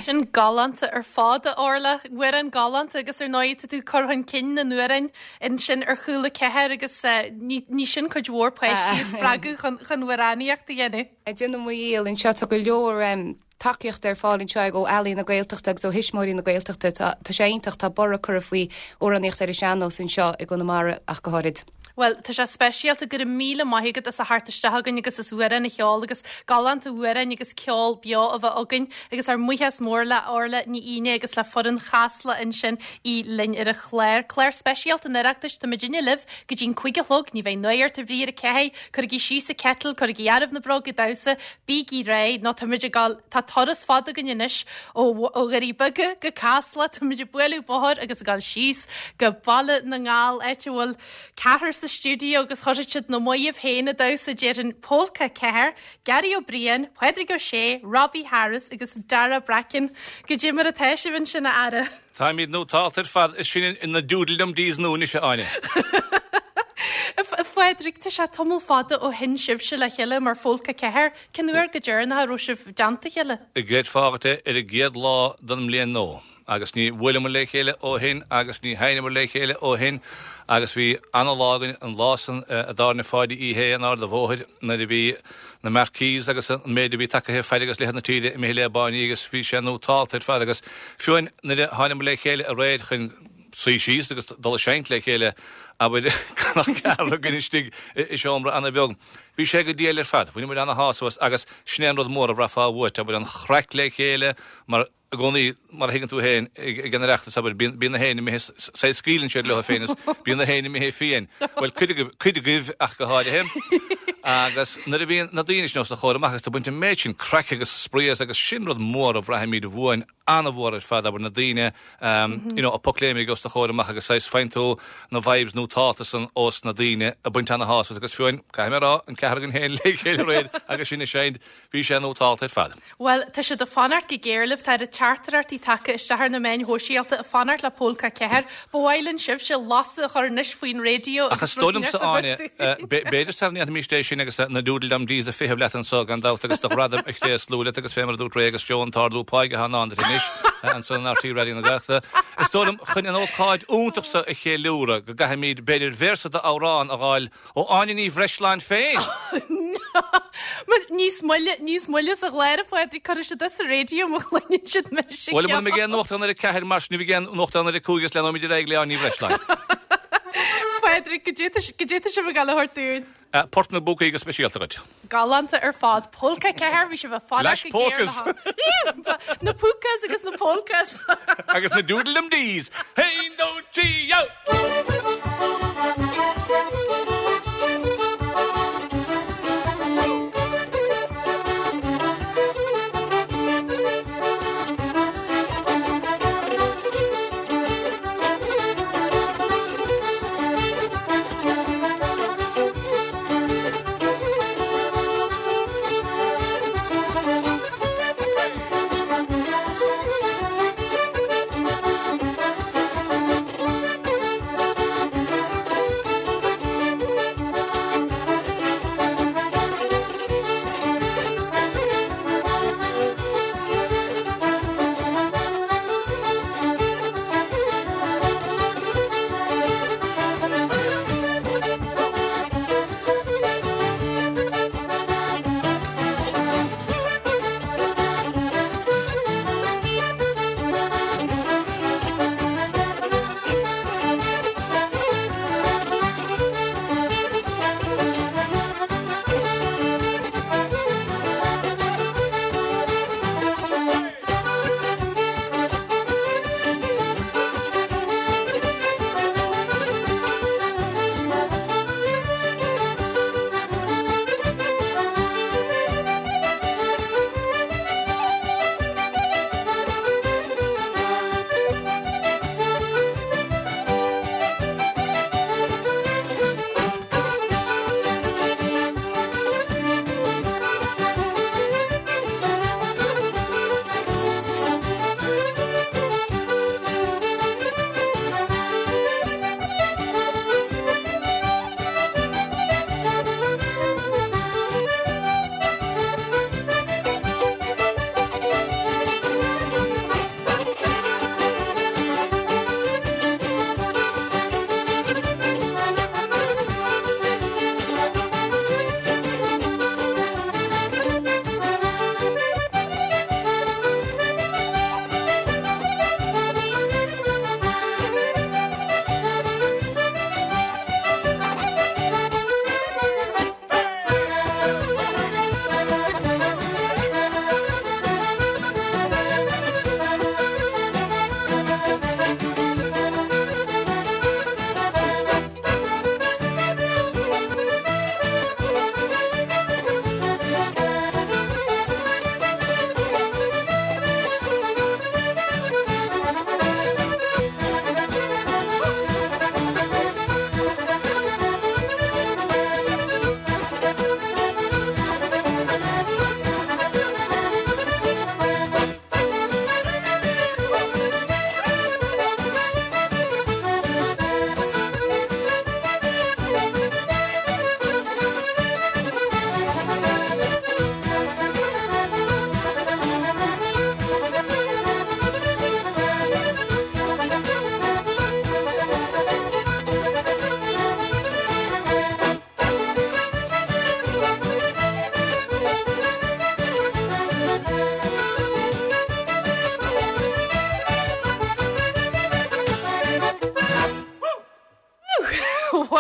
Sin galánta ar fad a Orla, amhrán galánta agus ar ndóigh tá tú cur chun cinn na n-amhrán ansin ar Cúla Ceathair agus ní sin cuid mhór páistí a spreagadh chun chun amhránaíocht a dhéanamh. Ag déanamh mo dhícheall anseo tá go leor tacaíocht ar fáil anseo ag ó Ealaín na Gaeltachta agus ó Thuismitheoirí na Gaeltachta tá sé iontach tá borradh curtha faoi amhránaíocht ar an sean-nós anseo i gConamara ach go háirid. Bhuel, tá sé speisialta go raibh míle maith agat as a theacht isteach againn agus as amhrán a cheol agus galánta amhráin agus ceol beo a bheith againn agus ár mbuíochas mór le Orla Ní Fhínne agus le foireann Chasla ansin í linn ar an chlár. Clár speisialta an Oireachtais tá muidinne libh go dtí'n cúig a chlog, ní bheidh náire ort a bhrí ar a ceathair, cuirigí síos an kettle, cuirigí araibh na bróga damhsa, bígí réidh nó tá muid ag gabháil tá turas fada againn anois ó ó Dhoirí Beaga go Casla, tá muid ag bualadh bóthair agus ag gabháil síos go Baile na nGall áit a bhfuil ceathrar sa stiúideo agus chuirfidh siad na maíomh féin a damhsa déarfainn Pólca Ceathair, Gary Ó Briain, Pádraig Ó Sé, Robbie Harris agus Dara Bracken. Goidé mar atá sibh ansin a fheara. Táimid nótálta ar fad is sin in na doodle dees nó is Áine. A Phádraig tá sé tamall fada ó sheinn sibhse le chéile mar Phólca Ceathair, cén uair go deireanach a raibh sibh i dteannta a chéile? I gcreidfeá ar an gcéad lá den mbliain nua. Agus ní bhuaileamar le chéile ó shin agus ní sheinneamar le chéile ó shin agus bhí an-lá againn an lá san a dtáirne Pháidí Uí Shé in Ard an Bhóthair nuair a bhí na Marquees agus an méid a bhí tagtha fad agus leithead na tíre imithe le báiní agus bhí sé nótálta ar fad agus fiú nuair a tháinig le chéile aréir chun suí síos agus dul ag seinnt le chéile abair gan ach ceathrar againn istigh i seomra an-bheag. Bhí sé go diail ar fad, bhain muid ana-shásamh as agus sin é an rud mór a bhraithfeá uait, abair an chraic le chéile mar i gcónaí mar a thuigeann tú féin ag an Oireachtas abair bíonn na héin imithe saghas scaoileann siad leo féin is bíonn na héin imithe fiáin. Bhuel cuid agaibh cuid agaibh ach go háirithe. Agus nuair a bhíonn na daoine sin os do chomhair amach agus tú ag baint an méid sin craic agus spraoi as agus sin rud mór a bhraithimid uainn an-mhór ar fad abair na daoine you know, a pocléimigh os do chomhair amach agus saghas faigheann tú na vibes nótálta san ós na daoine a baint ana-shásamh agus fiú caithfidh mé a rá an ceathrar againn féin le chéile aréir agus sinn ag seinnt bhí sé nótálta ar fad. Bhuel, tá siad ag fanacht go géar libh, tá teachtaireachtaí tagtha isteach ar na meáin shóisialta ag fanacht le Pólca Ceathair. Ba mhaith linn sibhse lasadh a chur anois faoin raidió Ach is dóigh liomsa Áine, b'fhéidir sara ndéanfaimís é sin agus na doodle-dum dees a feitheamh leat anso gan dabht agus do ghradam a thréaslú leat agus fé mar a dúirt Ray agus Joe an t-ardú páigh atá i ndán duit anois anso in RTÉ Raidió na Gaeltachta. Is dóigh liom chun an ócáid iontach seo a cheiliúradh go gcaithfimid b'fhéidir véarsa d'amhrán a fháil ó Áine Ní Bhreisleáin féin. Níos moille níos moille sa gclár a Phádraig cuirfidh siad as sa raidió má chluineann siad mise Bhuel, muna mbeidh aon nuachtán ar a ceathair mar sin ní bheidh aon nuachtán ar a cúig agus leanfaimid ar aghaidh le Áine Ní Bhreisleáin. Pádraig, goidé goidé tá sibh ag gabháil a thabhairt dúinn. Port na bPúcaí go speisialta duit. Galánta ar fad Pólca Ceathair bhí sibh ag fanacht Leis go géar Pólcas. le há- Na púcas agus na polcas. Agus na doodle-dum dees. Haon dó trí out! Thank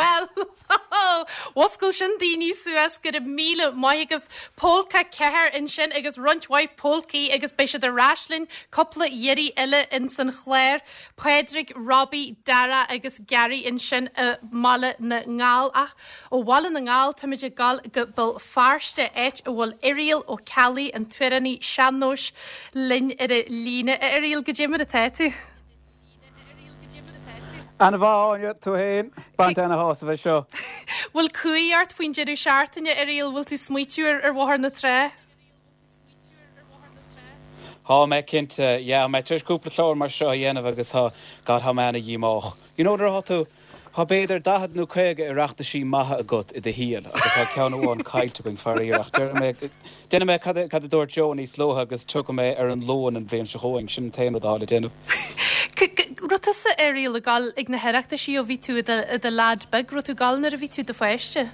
Bhuel, Mhuscail sin daoine suas go raibh míle maith agaibh Pólca ceathair ansin agus roinnt mhaith pólcaí agus beidh siad ar ais linn cúpla iarraidh eile ins an chlár. Pádraig, Robbie, Dara agus Gary ansin i mBaile na nGall ach ó Bhaile na nGall táimid ag dul go Béal Feirste áit a bhfuil Irial Ó Ceallaigh an t-amhránaí sean-nóis linn ar an líne. A Irial goidé mar atá tú. Ana mhaith Áine tú féin baint ana shásamh é seo. Bhfuil cumhaidh ort faoin deireadh seachtaine Irial bhfuil tú ag smaoitiú ar ar Bhóthar na Trá? Tá mé cinnte yeah, mé tar éis cúpla clár mar seo a dhéanamh agus tá God tá mé ana-dhíomách. You know nuair atá tú Tá b'fhéidir daichead nó caoga Oireachtaisí maithe agat i do shaol agus tá ceann amháin caillte againn faraor ach déanfaidh mé cad a dúirt Joe níos luaithe agus tiocfaidh mé ar an Luan an bhliain seo chugainn, sin an t-aon rud atá le déanamh. Raibh tusa Irial ag dul ag na hOireachtaisí ó bhí tú i do leaid beag, raibh tú ag dul nuair a bhí tú i do pháiste?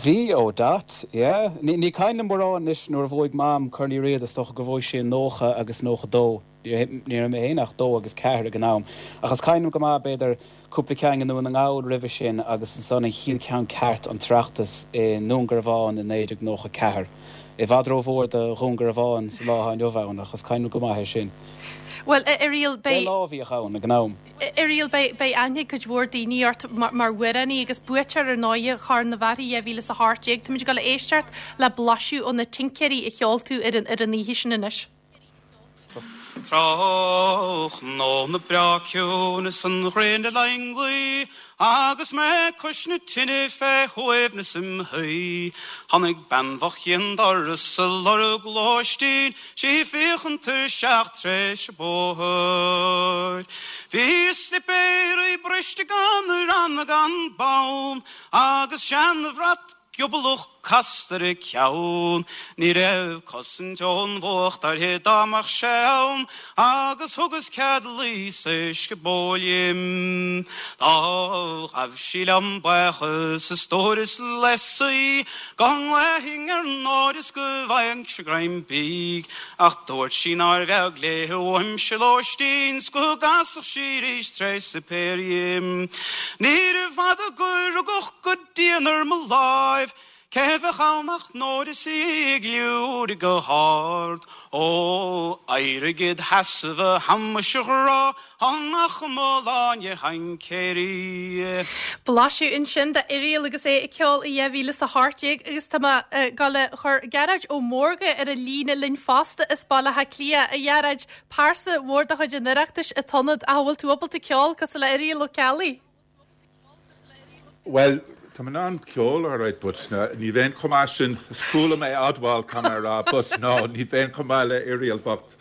Bhí ó dat, yeah. Ní ní cuimhin liom mórán anois nuair a bhuaigh Mam Corn Uí Riada is dócha gur bhuaigh sí nócha agus nócha dó. Ní raibh mé féin ach dó agus ceathair ag an am. Ach is cuimhin liom go maith b'fhéidir cúpla ceann i nDún na nGall roimhe sin agus ansan an chéad cheann ceart an tOireachtas i nDún Garbhán i naoi déag nócha ceathair. I bhfad rómhór do Dhún Garbhán sa lá atá inniu ann ach is cuimhin liom go maith é sin. Bhuel, a Irial, beidh. Deich lá a bhíodh ann ag an am. Irial, beidh beidh aithne ag cuid mhór daoine ort mar mar amhránaí agus buaiteoir ar ndóighe Chorn na bhFear dhá mhíle is a hocht déag. Táimid ag dul a éisteacht le blaiseadh ó na Tincéirí a cheol tú ar an ar an oíche sin anois. Tráthnóna breá ciúin is an ghrian ag langlí agus mé cois na tine fé shuaimhneas im shuí. Tháinig bean bhocht chuig an doras ag lorg lóistín, 's í ag féachaint tuirseach tar éis an bhóthair. Bhí a slipéirí briste gan ranna gan bonn agus seanbhrat giobalach casta ar a ceann. Ní raibh cosaint ón bhfuacht uirthi dá mbeadh sé ann, agus thugas cead luí sa scioból dhi. Do ghabh sí liom buíochas a stór is leasa go nglaofainn ar Nóra is go bhfaighinnse greim bídh, ach dúirt sí nár bheag léi uaimse lóistín 's go gcasfadh sí arís tar éis suipéir dhi. Níorbh fhada gur rugadh go dian ar mo láimh, Cé bheadh ann ach Nóra is í ag liúirigh go hard. Ó, éirigh id sheasamh a Thomáis a ghrá, tá nach mo láine thaincéirí. Blaiseadh ansin d'Irial agus é ag ceol i dhá mhíle is a hocht déag agus tá mé ag dul a chur Gearóid Ó Mórdha ar an líne linn fosta as Baile Átha Cliath. A Ghearóid, pearsa mhór de chuid an Oireachtais i t'ionad ach an bhfuil tú ábalta ceol cosúil le Irial Ó Ceallaigh? Well, tá mé in ann ceol alright, but ní bheinn chomh maith sin is fuath liom é a admháil tá mé a rá, but no, ní bheinn chomh maith le Irial bocht.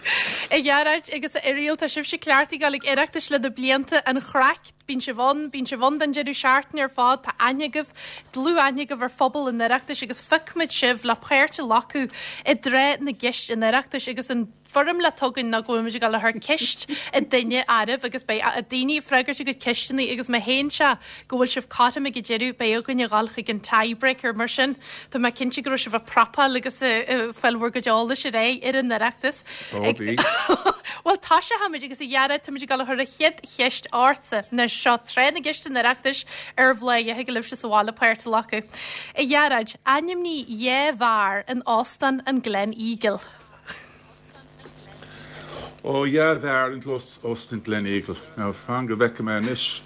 A Ghearóid agus a Irial, tá sibhse cleachtaithe ag dul ag Oireachtais le na blianta an chraic, bíonn sibh ann, bíonn sibh ann don deireadh seachtaine ar fad, tá aithne agaibh, dlúth-aithne agaibh ar phobal an Oireachtais agus phioc muid sibh le páirt a ghlacadh i dtráth na gceist an Oireachtais agus an foirmle atá againn ná go bhfuil muid ag dul a chur ceist ag duine oraibh agus beidh daoine ag freagairt a gcuid ceisteanna agus má théann sé go bhfuil sibh cothrom ag an deireadh beidh againn a dhul chuig an tiebreaker mar sin tá mé cinnte go raibh sibh ag prapáil agus ag fáil bhur gcuid eolais ar aghaidh ar an Oireachtas. Ó bhí. Bhuel tosóchaimid agus a Ghearóid táimid ag dul a chur an chéad cheist ortsa. Anois seo tráth na gceist an Oireachtais ar Bhladhaire thig libhse sa bhaile páirt a ghlacadh. A Ghearóid, ainmnigh dhá bheár in Óstán an Gleneagle. Ó dhá bheár in Óstán Gleneagle. Now fan go bhfeice mé anois.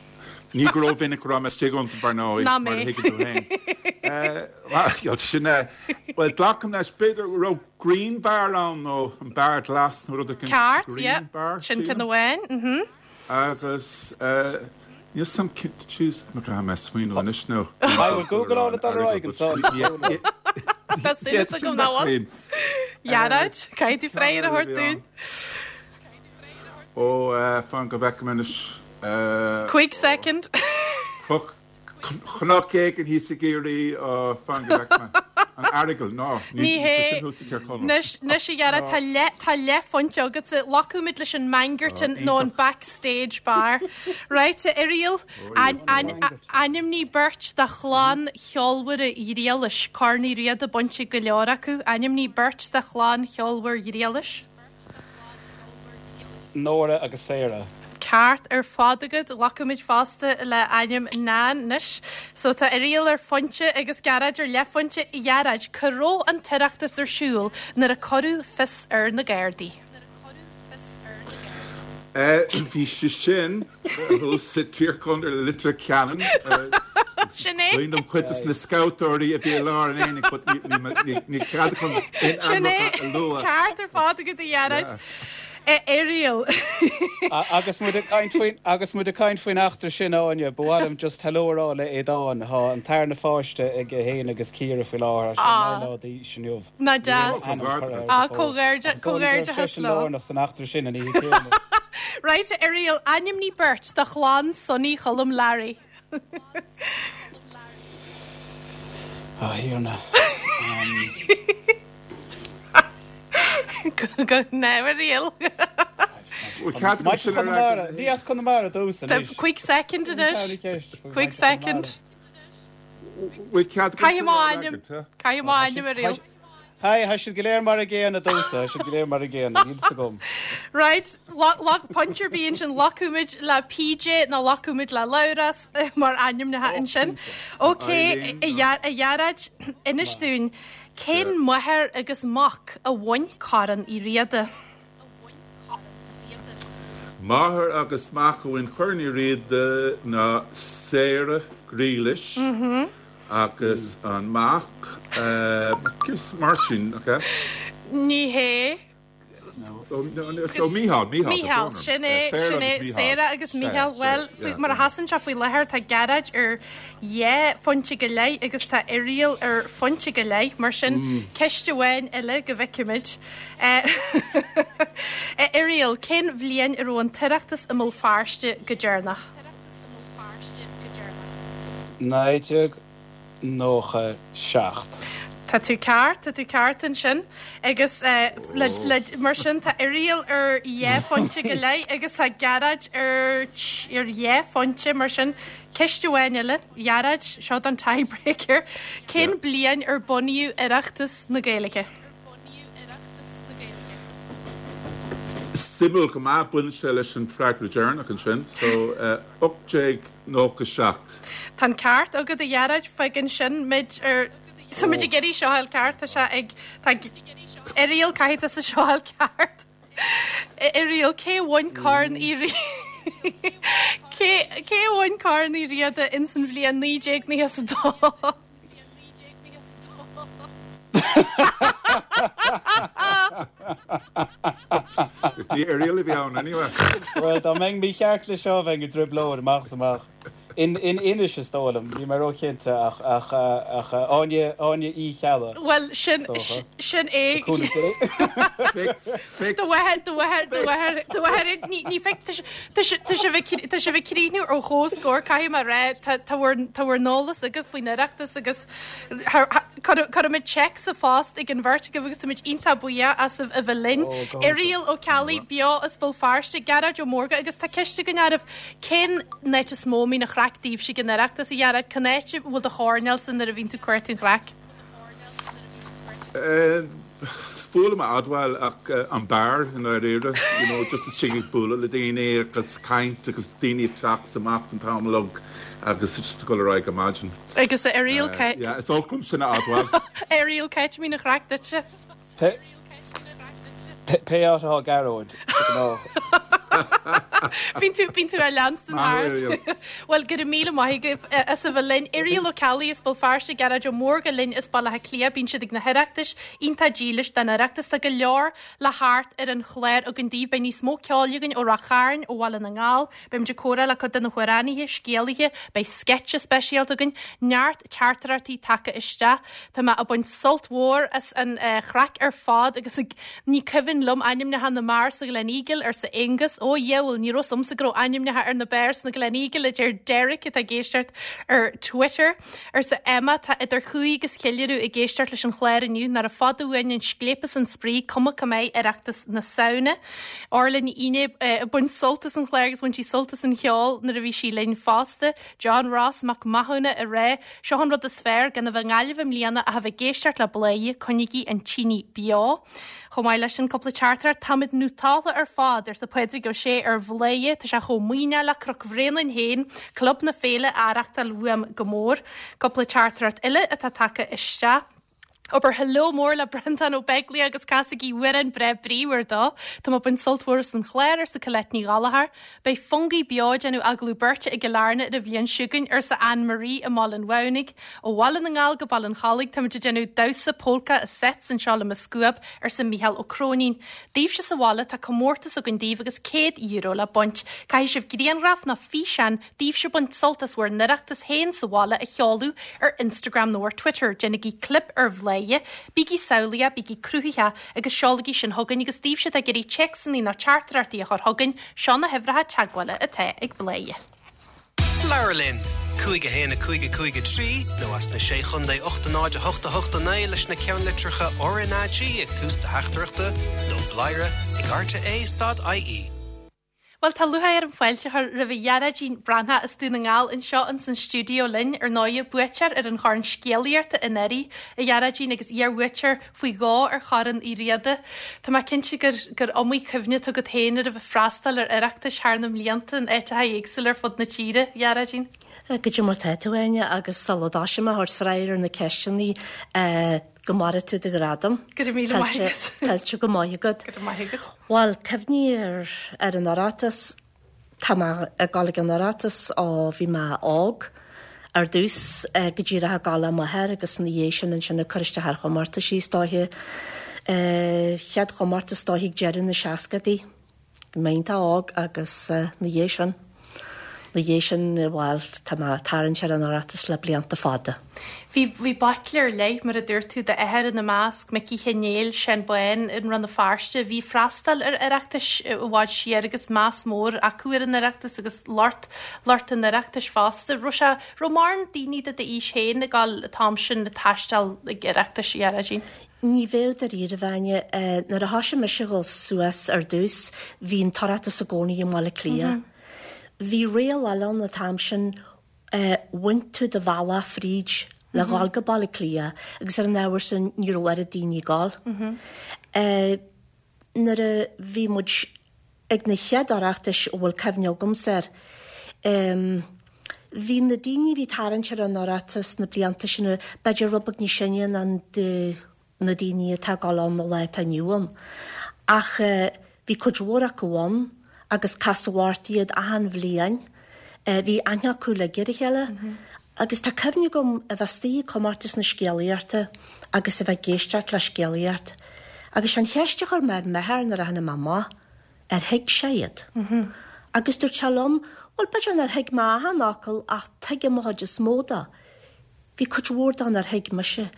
Ní go rómhinic go raibh mé istigh iontu dar ndóigh, Ná mar a mé. thuigeann tú féin. Bhuel, sin é. Bhuel, glacaim leis, b'fhéidir go raibh Green Bar ann nó an Beár Glas nó rud éigin. Ceart, Green yeah. Bar, Sin sílim. ceann amháin, mhm. Agus níl 's a'm cén, jeez, má caithfidh mé smaoineamh anois nó. I will Google all it ar aghaidh ansan. Tá súil agam nach bhfuil. Ghearóid, caithfidh tú freagra a thabhairt dúinn. Ó, fan go bhfeice mé anois. Cúig soicind. Cnoc, cnoc éigin thíos i gCiarraí, fan go bhfeice mé. An Earagail, ná, ní Ní hé. sin thuas i Tír Chonaill. Anois, anois a Ghearóid, tá leath, tá leathphointe agatsa. Glacfaimid leis an Mangerton nó an Backstage Bar. Right, a Irial, ainmnigh beirt de chlann cheolmhar Ghriallais, Corn Uí Riada bainte ag go leor acu. Ainmnigh beirt de chlann cheolmhar Ghriallais. Nóra agus Sarah. ceart ar fad agat glacfaimid fosta le ainm Nan anois. So tá Irial ar phointe agus Gearóid ar leathphointe a Ghearóid, cá raibh an tOireachtas ar siúl nuair a cuireadh fios ar na Gardaí. Bhí sé sin sa Tír Chonaill Leitir Ceanainn. Sin é. Bíonn cuid de na scabhtóirí a bhí i lár an aonaigh, but ní cead chun aon Sin é ainmneacha a lua. ceart ar fad agat a Ghearóid. Irial. Agus muid ag caint faoin agus muid ag caint faoin eachtra sin Áine, ba mhaith liom just hello a rá le Aodán tá an tarna pháiste aige féin agus Ciara faoi láthair sé Ah. naoi lá d'aois inniu. Ná deas. Ah, comhghairde- comhghairdeachas leo. lárnach san eachtra sin an oíche chéanna. Right, Irial, ainmnigh beirt de chlann Sonny Cholm Larry. Ah, Thiarna. Go Irial. Mike Connemara, Ní as Connemara dós anois. Quick second anois. Quick second. Caithfidh mo ainm. Caithfidh mo ainm Irial. Hi, tá siad go léir mar a gcéanna domsa, siad go léir mar a gcéanna, níl fhios agam. Right, pointe ar bith ansin glacfaimid le PJ nó glacfaimid le Labhrás mar ainmneacha ansin. Ok, a Ghearóid inis dúinn, cén máthair agus mac a bhain Corn Uí Riada? Máthair agus mac a bhain Corn Uí Riada ná Sarah Grealish Mhm. agus an mac uh, Martin, okay? Ní hé. So Mícheál, Mícheál. Mícheál, sin é, sin é, Sarah agus Mícheál, well, mar a sheasann sé faoi láthair tá Gearóid ar dhá phointe go leith agus tá Irial ar phointe go leith, mar sin Mm. ceist amháin eile go bhfeicfimid. Eh, Irial, cén bhliain a raibh an tOireachtas i mBéal Feirste go deireanach? Naoi déag nócha seacht. Tá tú ceart, tá tú ceart ansin agus eh, le, le, mar sin tá Irial ar dhá phointe go leith agus tá Gearóid ar ar dhá phointe mar sin ceist amháin eile, Gearóid, seo an tiebreaker. Cén bliain ar bunaíodh Oireachtas na Gaeilge? Suimiúil go maith baineann sé leis an freagra deireanach ansin, so uh, ocht déag nócha seacht. Tá an ceart agat a Ghearóid fágann sin muid ar So muid ag iarraidh seo a fháil ceart tá sé ag tá Irial caithfidh tusa seo a fháil ceart. Irial cé bhain Corn Uí Cé cé bhain Corn Uí Riada ins an bhliain naoi déag nócha a dó. Is ní Irial a bhí ann anyway. Well, dá mbeinn mícheart le seo bheinn i dtrioblóid amach is amach. In in Inis is dóigh liom, ní mé róchinnte ach ach ach Áine Áine Uí Cheallaigh. Well sin Dócha. sin é Cúnamh Dé. Do bhfuil do bhfuil do bhfuil do bhfuil ní ní feic tá sé bheith críú ó chóscóir caithfidh mé rá tá tá bhur n-eolas agaibh faoin Oireachtas agus cuirfimid check sa phost ag an bheirt agaibh agus táimid iontach buíoch as a bheith linn. Ó, go Irial Ó Ceallaigh beo as Béal Feirste, Gearóid Ó Mórdha agus tá ceist againn oraibh cén áit is mó a mbíonn an chraic daoibhse ag an Oireachtas a Ghearóid cén áit a bhfuil do choirnéal san nuair a bhíonn tú ag cuartú an chraic. Is fuath liom a admháil ach uh, an beár in áiríre, you know, just istigh ag bualadh le daoine agus caint agus daoine ag teacht amach an t-am uilig agus just ag dul ar aghaidh imagine. Agus a Irial Uh, yeah, is olc liom sin a admháil. Irial cá háit a mbíonn an chraic duitse. Pé pé áit atá Gearóid ná. Bíonn tú bíonn tú a leanstan thart. Well go raibh míle maith agaibh as a bheith linn Irial Ó Ceallaigh as Béal Feirste Gearóid Ó Mórdha linn as Baile Átha Cliath bíonn siad ag na hOireachtais iontach dílis den Oireachtas tá go leor le theacht ar an chlár againn daoibh beidh níos mó ceoil againn ó Ráth Chairn ó Bhaile na nGall, Beimid ag comhrá le cuid de na hamhránaithe scéalaithe, beidh sceitse speisialta againn, neart teachtaireachtaí tagtha isteach. Tá mé ag baint sult mhór as an uh, chraic ar fad agus ag, ní cuimhin liom ainmneacha na mbeár sa Gleneagle arsa Angus ó dheabhail ní raibh fhios a'msa go raibh ainmneacha ar na beáir sna Gleneagle a deir Derek atá ag éisteacht ar Twitter arsa Emma tá idir chumhaidh agus cheiliúradh ag éisteacht leis an chlár inniu nárbh fada uainn an scléip is an spraoi cuma cá mbeidh Oireachtas na Samhna. Orla Ní Fhínné ag baint sult as an chlár agus bhain sí sult as an cheol nuair a bhí sí linn fosta. John Ross Mac Mathúna ag rá seo an rud is fearr gan a bheith i nGaillimh i mbliana ach a bheith ag éisteacht le Bladhaire coinnígí an tine beo. Chomh maith leis an cúpla teachtaireacht táimid nótálta ar fad arsa Pádraig Ó Sé ar Bhladhaire, tá sé chomh maoithneach le Cnoc Bhréanainn féin, Club na Féile á aireachtáil uaim go mór. Cúpla teachtaireacht eile atá tagtha isteach. Abair hello mór le Breandán Ó Beaglaoich agus casaigí amhrán breá bríomhar dó. Tá mé ag baint sult mhór as an chlár, arsa Colette Ní Ghallchóir. Beidh Fungie beo ag déanamh agallamh beirte i gCill Airne ar an bhliain seo chugainn, arsa Anne Marie i mBaile an Mhamhnaigh. Ó Bhaile na nGall go Baile an Chollaigh, táimid ag déanamh damhsa polca i sets anseo le mo scuab, arsa Mícheál Ó Cróinín. Daoibhse sa bhaile, tá comórtas againn daoibh agus céad euro le baint. Caithfidh sibh grianghraf nó físeán daoibhse ag baint sult as bhur n-oireachtas féin sa bhaile a sheoladh ar Instagram nó ar Twitter. Déanaigí clip ar Bhladhaire, bígí samhlaíoch, bígí cruthaitheach agus seolaigí sin chugainn agus daoibhse atá ag iarraidh téacsanna nó teachtaireachtaí a chur chugainn, seo na huimhreacha teagmhála atá ag Bladhaire. Labhair linn! Cúig a haon a cúig a cúig a trí nó as na Sé Chontae ocht a náid a hocht a hocht a naoi leis na ceannlitreacha R N A G ag tús do theachtaireachta nó bladhaire ag rte stad I E. Bhuel, tá lúcháir orm fáilte a chur roimh Ghearóidín Breathnach as Dún na nGall anseo ins an stiúideo linn, ar ndóigh, buaiteoir ar an Chorn Scéalaíochta anuraidh, a Ghearóidín, agus iarbhuaiteoir faoi dhó ar Chorn Uí Riada. Tá mé cinnte gur gur iomaí cuimhne atá agat féin ar a bheith ag freastal ar Oireachtais thar na mblianta in áiteacha éagsúla ar fud na tíre, a Ghearóidín. Goidé mar tá tú, Áine, agus sula dtosaím ag tabhairt freagra ar na ceisteanna, go maire tú do ghradam. Go raibh míle maith agat. Tuillte go maith agat. Go raibh maith agat. Bhuel, cuimhní ar ar an Oireachtas, tá mé ag dul ag an Oireachtas ó bhí mé óg ar dtús go díreach ag dul le m'athair agus ina dhiaidh sin ansin ag cur isteach ar chomórtaisí is dóiche. Chéad chomórtas is dóiche ag deireadh na seascadaí. Bhí mé iontach óg agus ina dhiaidh sin, ina dhiaidh sin, bhuel, tá mé ag tarraingt ar an Oireachtas le blianta fada. Bhí, bhí baicle ar leith, mar a dúirt tú, d'athair ina measc, Micí Chinnéil, Seán Bán i Rann na Feirste, a bhí ag freastal ar Oireachtais i bhfad siar agus meas mór acu ar an Oireachtas agus lucht, lucht an Oireachtais fosta. Raibh sé, raibh mórán daoine de d'aois féin ag dul an t-am sin ag taisteal ag Oireachtais, a Ghearóidín? Ní bheadh dáiríre, a Áine. Nuair a thoisigh mise a dhul suas ar dtús, bhí an tOireachtas i gcónaí i mBaile Átha Cliath. Bhí riail eile ann an t-am sin, bhain tú do bhealach fríd le dhul go Baile Átha Cliath agus ar an ábhar sin ní raibh oiread daoine ag dul. Nuair a bhí muid ag na chéad Oireachtais a bhfuil cuimhne agamsa air, bhí na daoine a bhí ag tarraingt ar an Oireachtas na blianta sin b'fhéidir rud beag níos sine ná na daoine atá ag dul ann an lá atá inniu ann. Ach bhí cuid mhór acu ann agus casadh ort iad achan bhliain. Bhí aithne acu uilig ar a chéile. Agus tá cuimhne agam a bheith istigh ag comórtas na scéalaíochta agus a bheith ag éisteacht le scéalaíocht. Agus an cheist a chuir mé ar m'athair nuair a tháinig mé amach, ar thuig sé iad. Agus dúirt sé liom, bhuel b'fhéidir nár thuig mé achan fhocal ach tuigim an chuid is mó de. Bhí cuid mhór de nár thuig mise.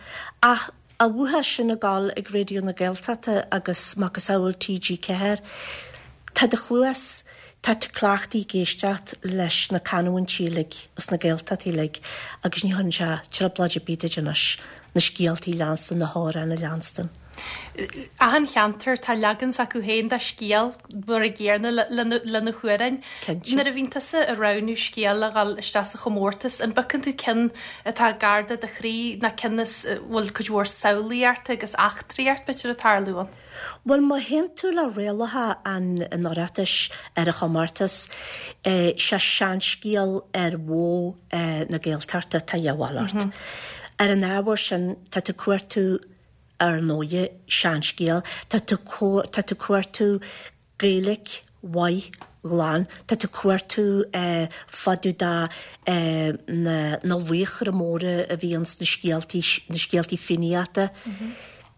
Ach a bhuíochas sin ag dul ag Raidió na Gaeltachta agus macasamhail T G ceathair, tá do chluas, tá tú cleachtaithe ag éisteacht leis na canúintí uilig is na Gaeltachtaí uilig agus ní chuireann sé trioblóid ar bith duit anois na scéaltaí a leanstan, na hamhráin a leanstan. Achan cheantar tá leagan s'acu féin de scéal mar an gcéanna le na hamhráin. Cinnte. Nuair a bhíonn tusa ag roghnú scéal le dhul isteach sa chomórtas, an bpiocann tú ceann atá gar do do chroí nó ceann a bhfuil cuid mhór samhlaíochta agus eachtraíocht b'fhéidir ag tarlú ann? Bhuel, má théann tú le rialacha an Oireachtais ar an chomórtas, sé seanscéal ar mhodh na Gaeltachta atá a dhíobháil ort. Ar an ábhar sin, tá tú ag cuartú ar ndóighe seanscéal, tá tú tá tú ag cuartú Gaeilge mhaith ghlan, tá tú ag cuartú fá dtaobh de na na laochra móra a bhí ins na scéaltaí na scéaltaí Fiannaíochta.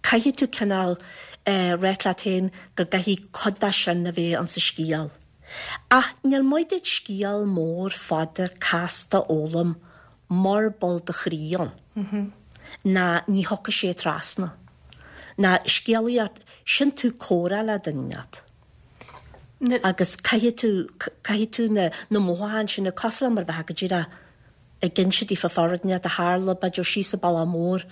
Caithfidh tú cineál ráit leat féin go gcaithfidh cuid de sin a bheith ins an scéal. Ach níl maith duit scéal mór fada casta a fhoghlaim murab bhfuil do chroí ann. Ná ní thiocfaidh sé trasna. Ná scéalaíocht, sin tú ag comhrá le duine inteacht. Agus caithfidh tú, caithfidh tú na, na mothúcháin sin, cosúil le mar a bheifeá go díreach ag inse daofa fá rud inteacht a tharla, b'fhéidir síos an bealach mór.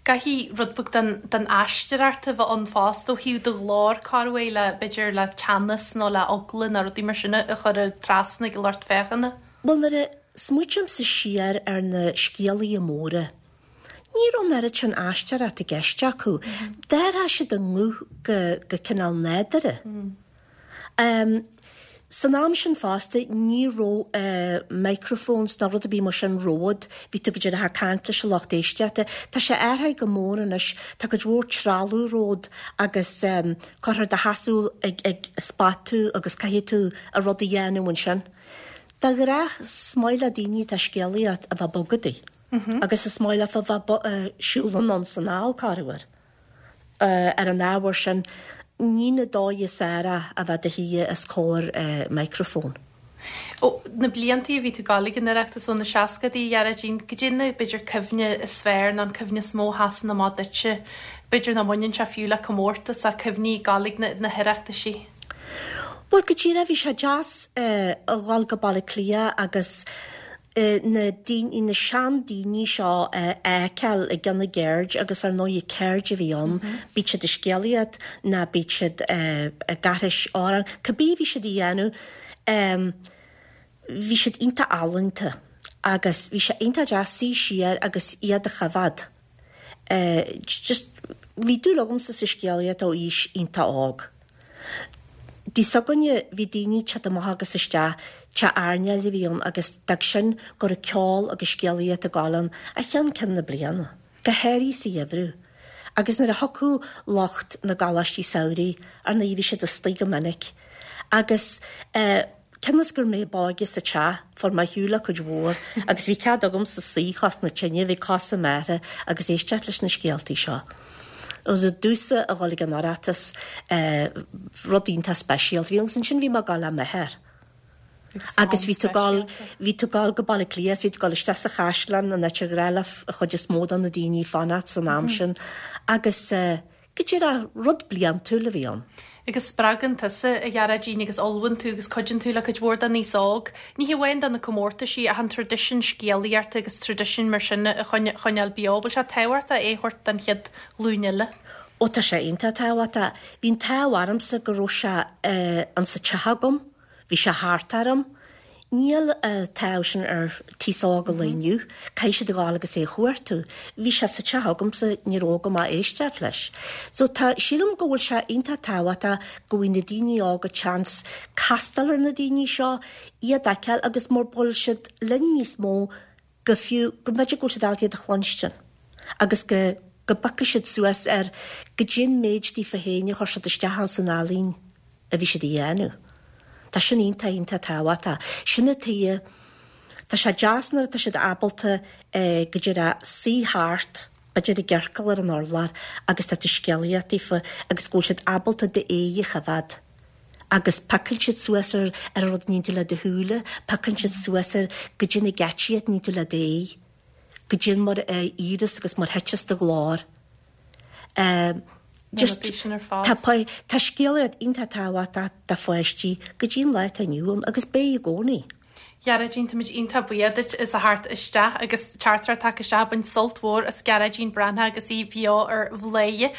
Caithfidh rud beag den, den aisteoireacht a bheith ann fosta ó thaobh do ghlór corruair le, b'fhéidir le teannas nó le eagla nó rudaí mar sin a chur trasna ag an lucht féachana. Bhuel, nuair a smaoitímse siar ar na scéalaithe móra, ní raibh an oiread sin aisteoireacht i gceist acu. D'athraigh siad a nguth go, go cineál nádúrtha. Um, San am sin fosta ní raibh microphones ná rud ar bith mar sin romhat, bhí tú go díreach ag caint leis an lucht éisteachta. Tá sé athraithe go mór anois, tá cuid mhór trealamh romhat agus caithfear do sheasamh ag ag spot tú agus caithfidh tú an rud a dhéanamh ansin. De ghnáth is maith le daoine atá ag scéalaíocht a bheith bogadaí agus is maith leofa a bheith ag siúl anonn is anall corruair. Ar an ábhar sin, ní na dóigh is fhearr a bheith do shuí os comhair micreafóin. Ó na bliantaí a bhí tú ag gabháil ag an Oireachtas ó na seascadaí, a Ghearóidín, goidé na, b'fhéidir, cuimhne is fearr nó an cuimhne is mó a sheasann amach duitse, b'fhéidir nach mbaineann sé fiú le comórtas ach cuimhní ag gabháil ag na, na hOireachtaisí? Bhuel, go díreach, bhí sé deas a dhul go Baile Átha Cliath agus na daoine, na seandaoine seo a fheiceáil i gcionn a gceird agus ar ndóigh ceird a bhí ann, bíodh siad ag scéalaíocht ná bíodh siad ag aithris amhrán, cibé a bhí siad a dhéanamh, bhí siad iontach ealaíonta agus bhí sé iontach deas suí siar agus iad a choimhéad. Just, bhí dúil agamsa sa scéalaíocht ó aois iontach óg. Dtigh s'againne bhí daoine ag teacht amach agus isteach, teach airneáil a bhí ann agus d'fhág sin go raibh ceol agus scéalaíocht ag gabháil ann ó cheann ceann na bliana, go háirithe sa gheimhreadh. Agus nuair a thiocfadh lucht na gcoláistí samhraidh, ar ndóigh bhí siad istigh go minic. Agus eh, cionn is gur mé ab óige sa teach, fuair mé ar shiúl le cuid mhór agus bhí cead agamsa suí cos na tine, bhí cosa meartha agus éisteacht leis na scéaltaí seo. Agus domhsa a dhul ag an Oireachtas, rud iontach speisialta. Bhí agus ansin bhí mé ag gabháil le m'athair. Agus bhí tú ag gabháil, bhí tú ag gabháil go Baile Átha Cliath, bhí tú ag gabháil isteach sa chaisleán, an áit ar ghnách le an chuid is mó de na daoine fanacht san am sin. Agus go díreach, rud bliantúil a bhí ann. Agus spreagann tusa, a Ghearóidín, agus ullmhaíonn tú agus cuidíonn tú le cuid mhór den aos óg, ní hamháin do na comórtaisí ach an traidisiún scéalaíochta agus traidisiún mar sin a choinneáil beo. Bhfuil sé tábhachtach é a thabhairt don chéad ghlúin eile? Ó tá sé iontach tábhachtach. Bhí an t-ádh ormsa go raibh sé insa teach agam, bhí sé thart orm. Níl an t-ádh sin ar an t-aos óg an lae inniu. Caithfidh siad a ghabháil agus é a chuartú. Bhí sé sa teach agamsa, ní raibh agam ach éisteacht leis. So tá, sílim go bhfuil sé iontach tábhachtach go bhfaighidh na daoine óga chance castáil ar na daoine seo, iad a fheiceáil agus mura bhfuil siad linn níos mó go fiú, go mb'fhéidir go bhfuil siad ábalta iad a chluinstin agus go, go bpiocfaidh siad suas ar goidé an méid daofa féin a chuir siad isteach ins an ealaín a bhí siad a dhéanamh. Tá sin iontach, iontach tábhachtach. Sin an tuige, tá sé deas nuair atá siad ábalta go díreach suí thart, b'fhéidir i gciorcal ar an urlár agus tá tú ag scéalaíocht daofa agus go bhfuil siad ábalta d'aghaidh a choimhéad agus piocann siad suas ar ar an rud a níonn tú le do shúile, piocann siad suas ar goidé na geáitsí a níonn tú le d'aghaidh, goidé mar a éireos agus mar thiteas do ghlór. Just tá tá scéalaíocht iontach tábhachtach do pháistí go dtí an lá atá inniu ann agus beidh i gcónaí. Gearóidín, táimid iontach buíoch duit as a theacht isteach agus teachtaireacht tagtha isteach bain sult mhór as Gearóidín Breathnach agus í bheo ar Bhladhaire.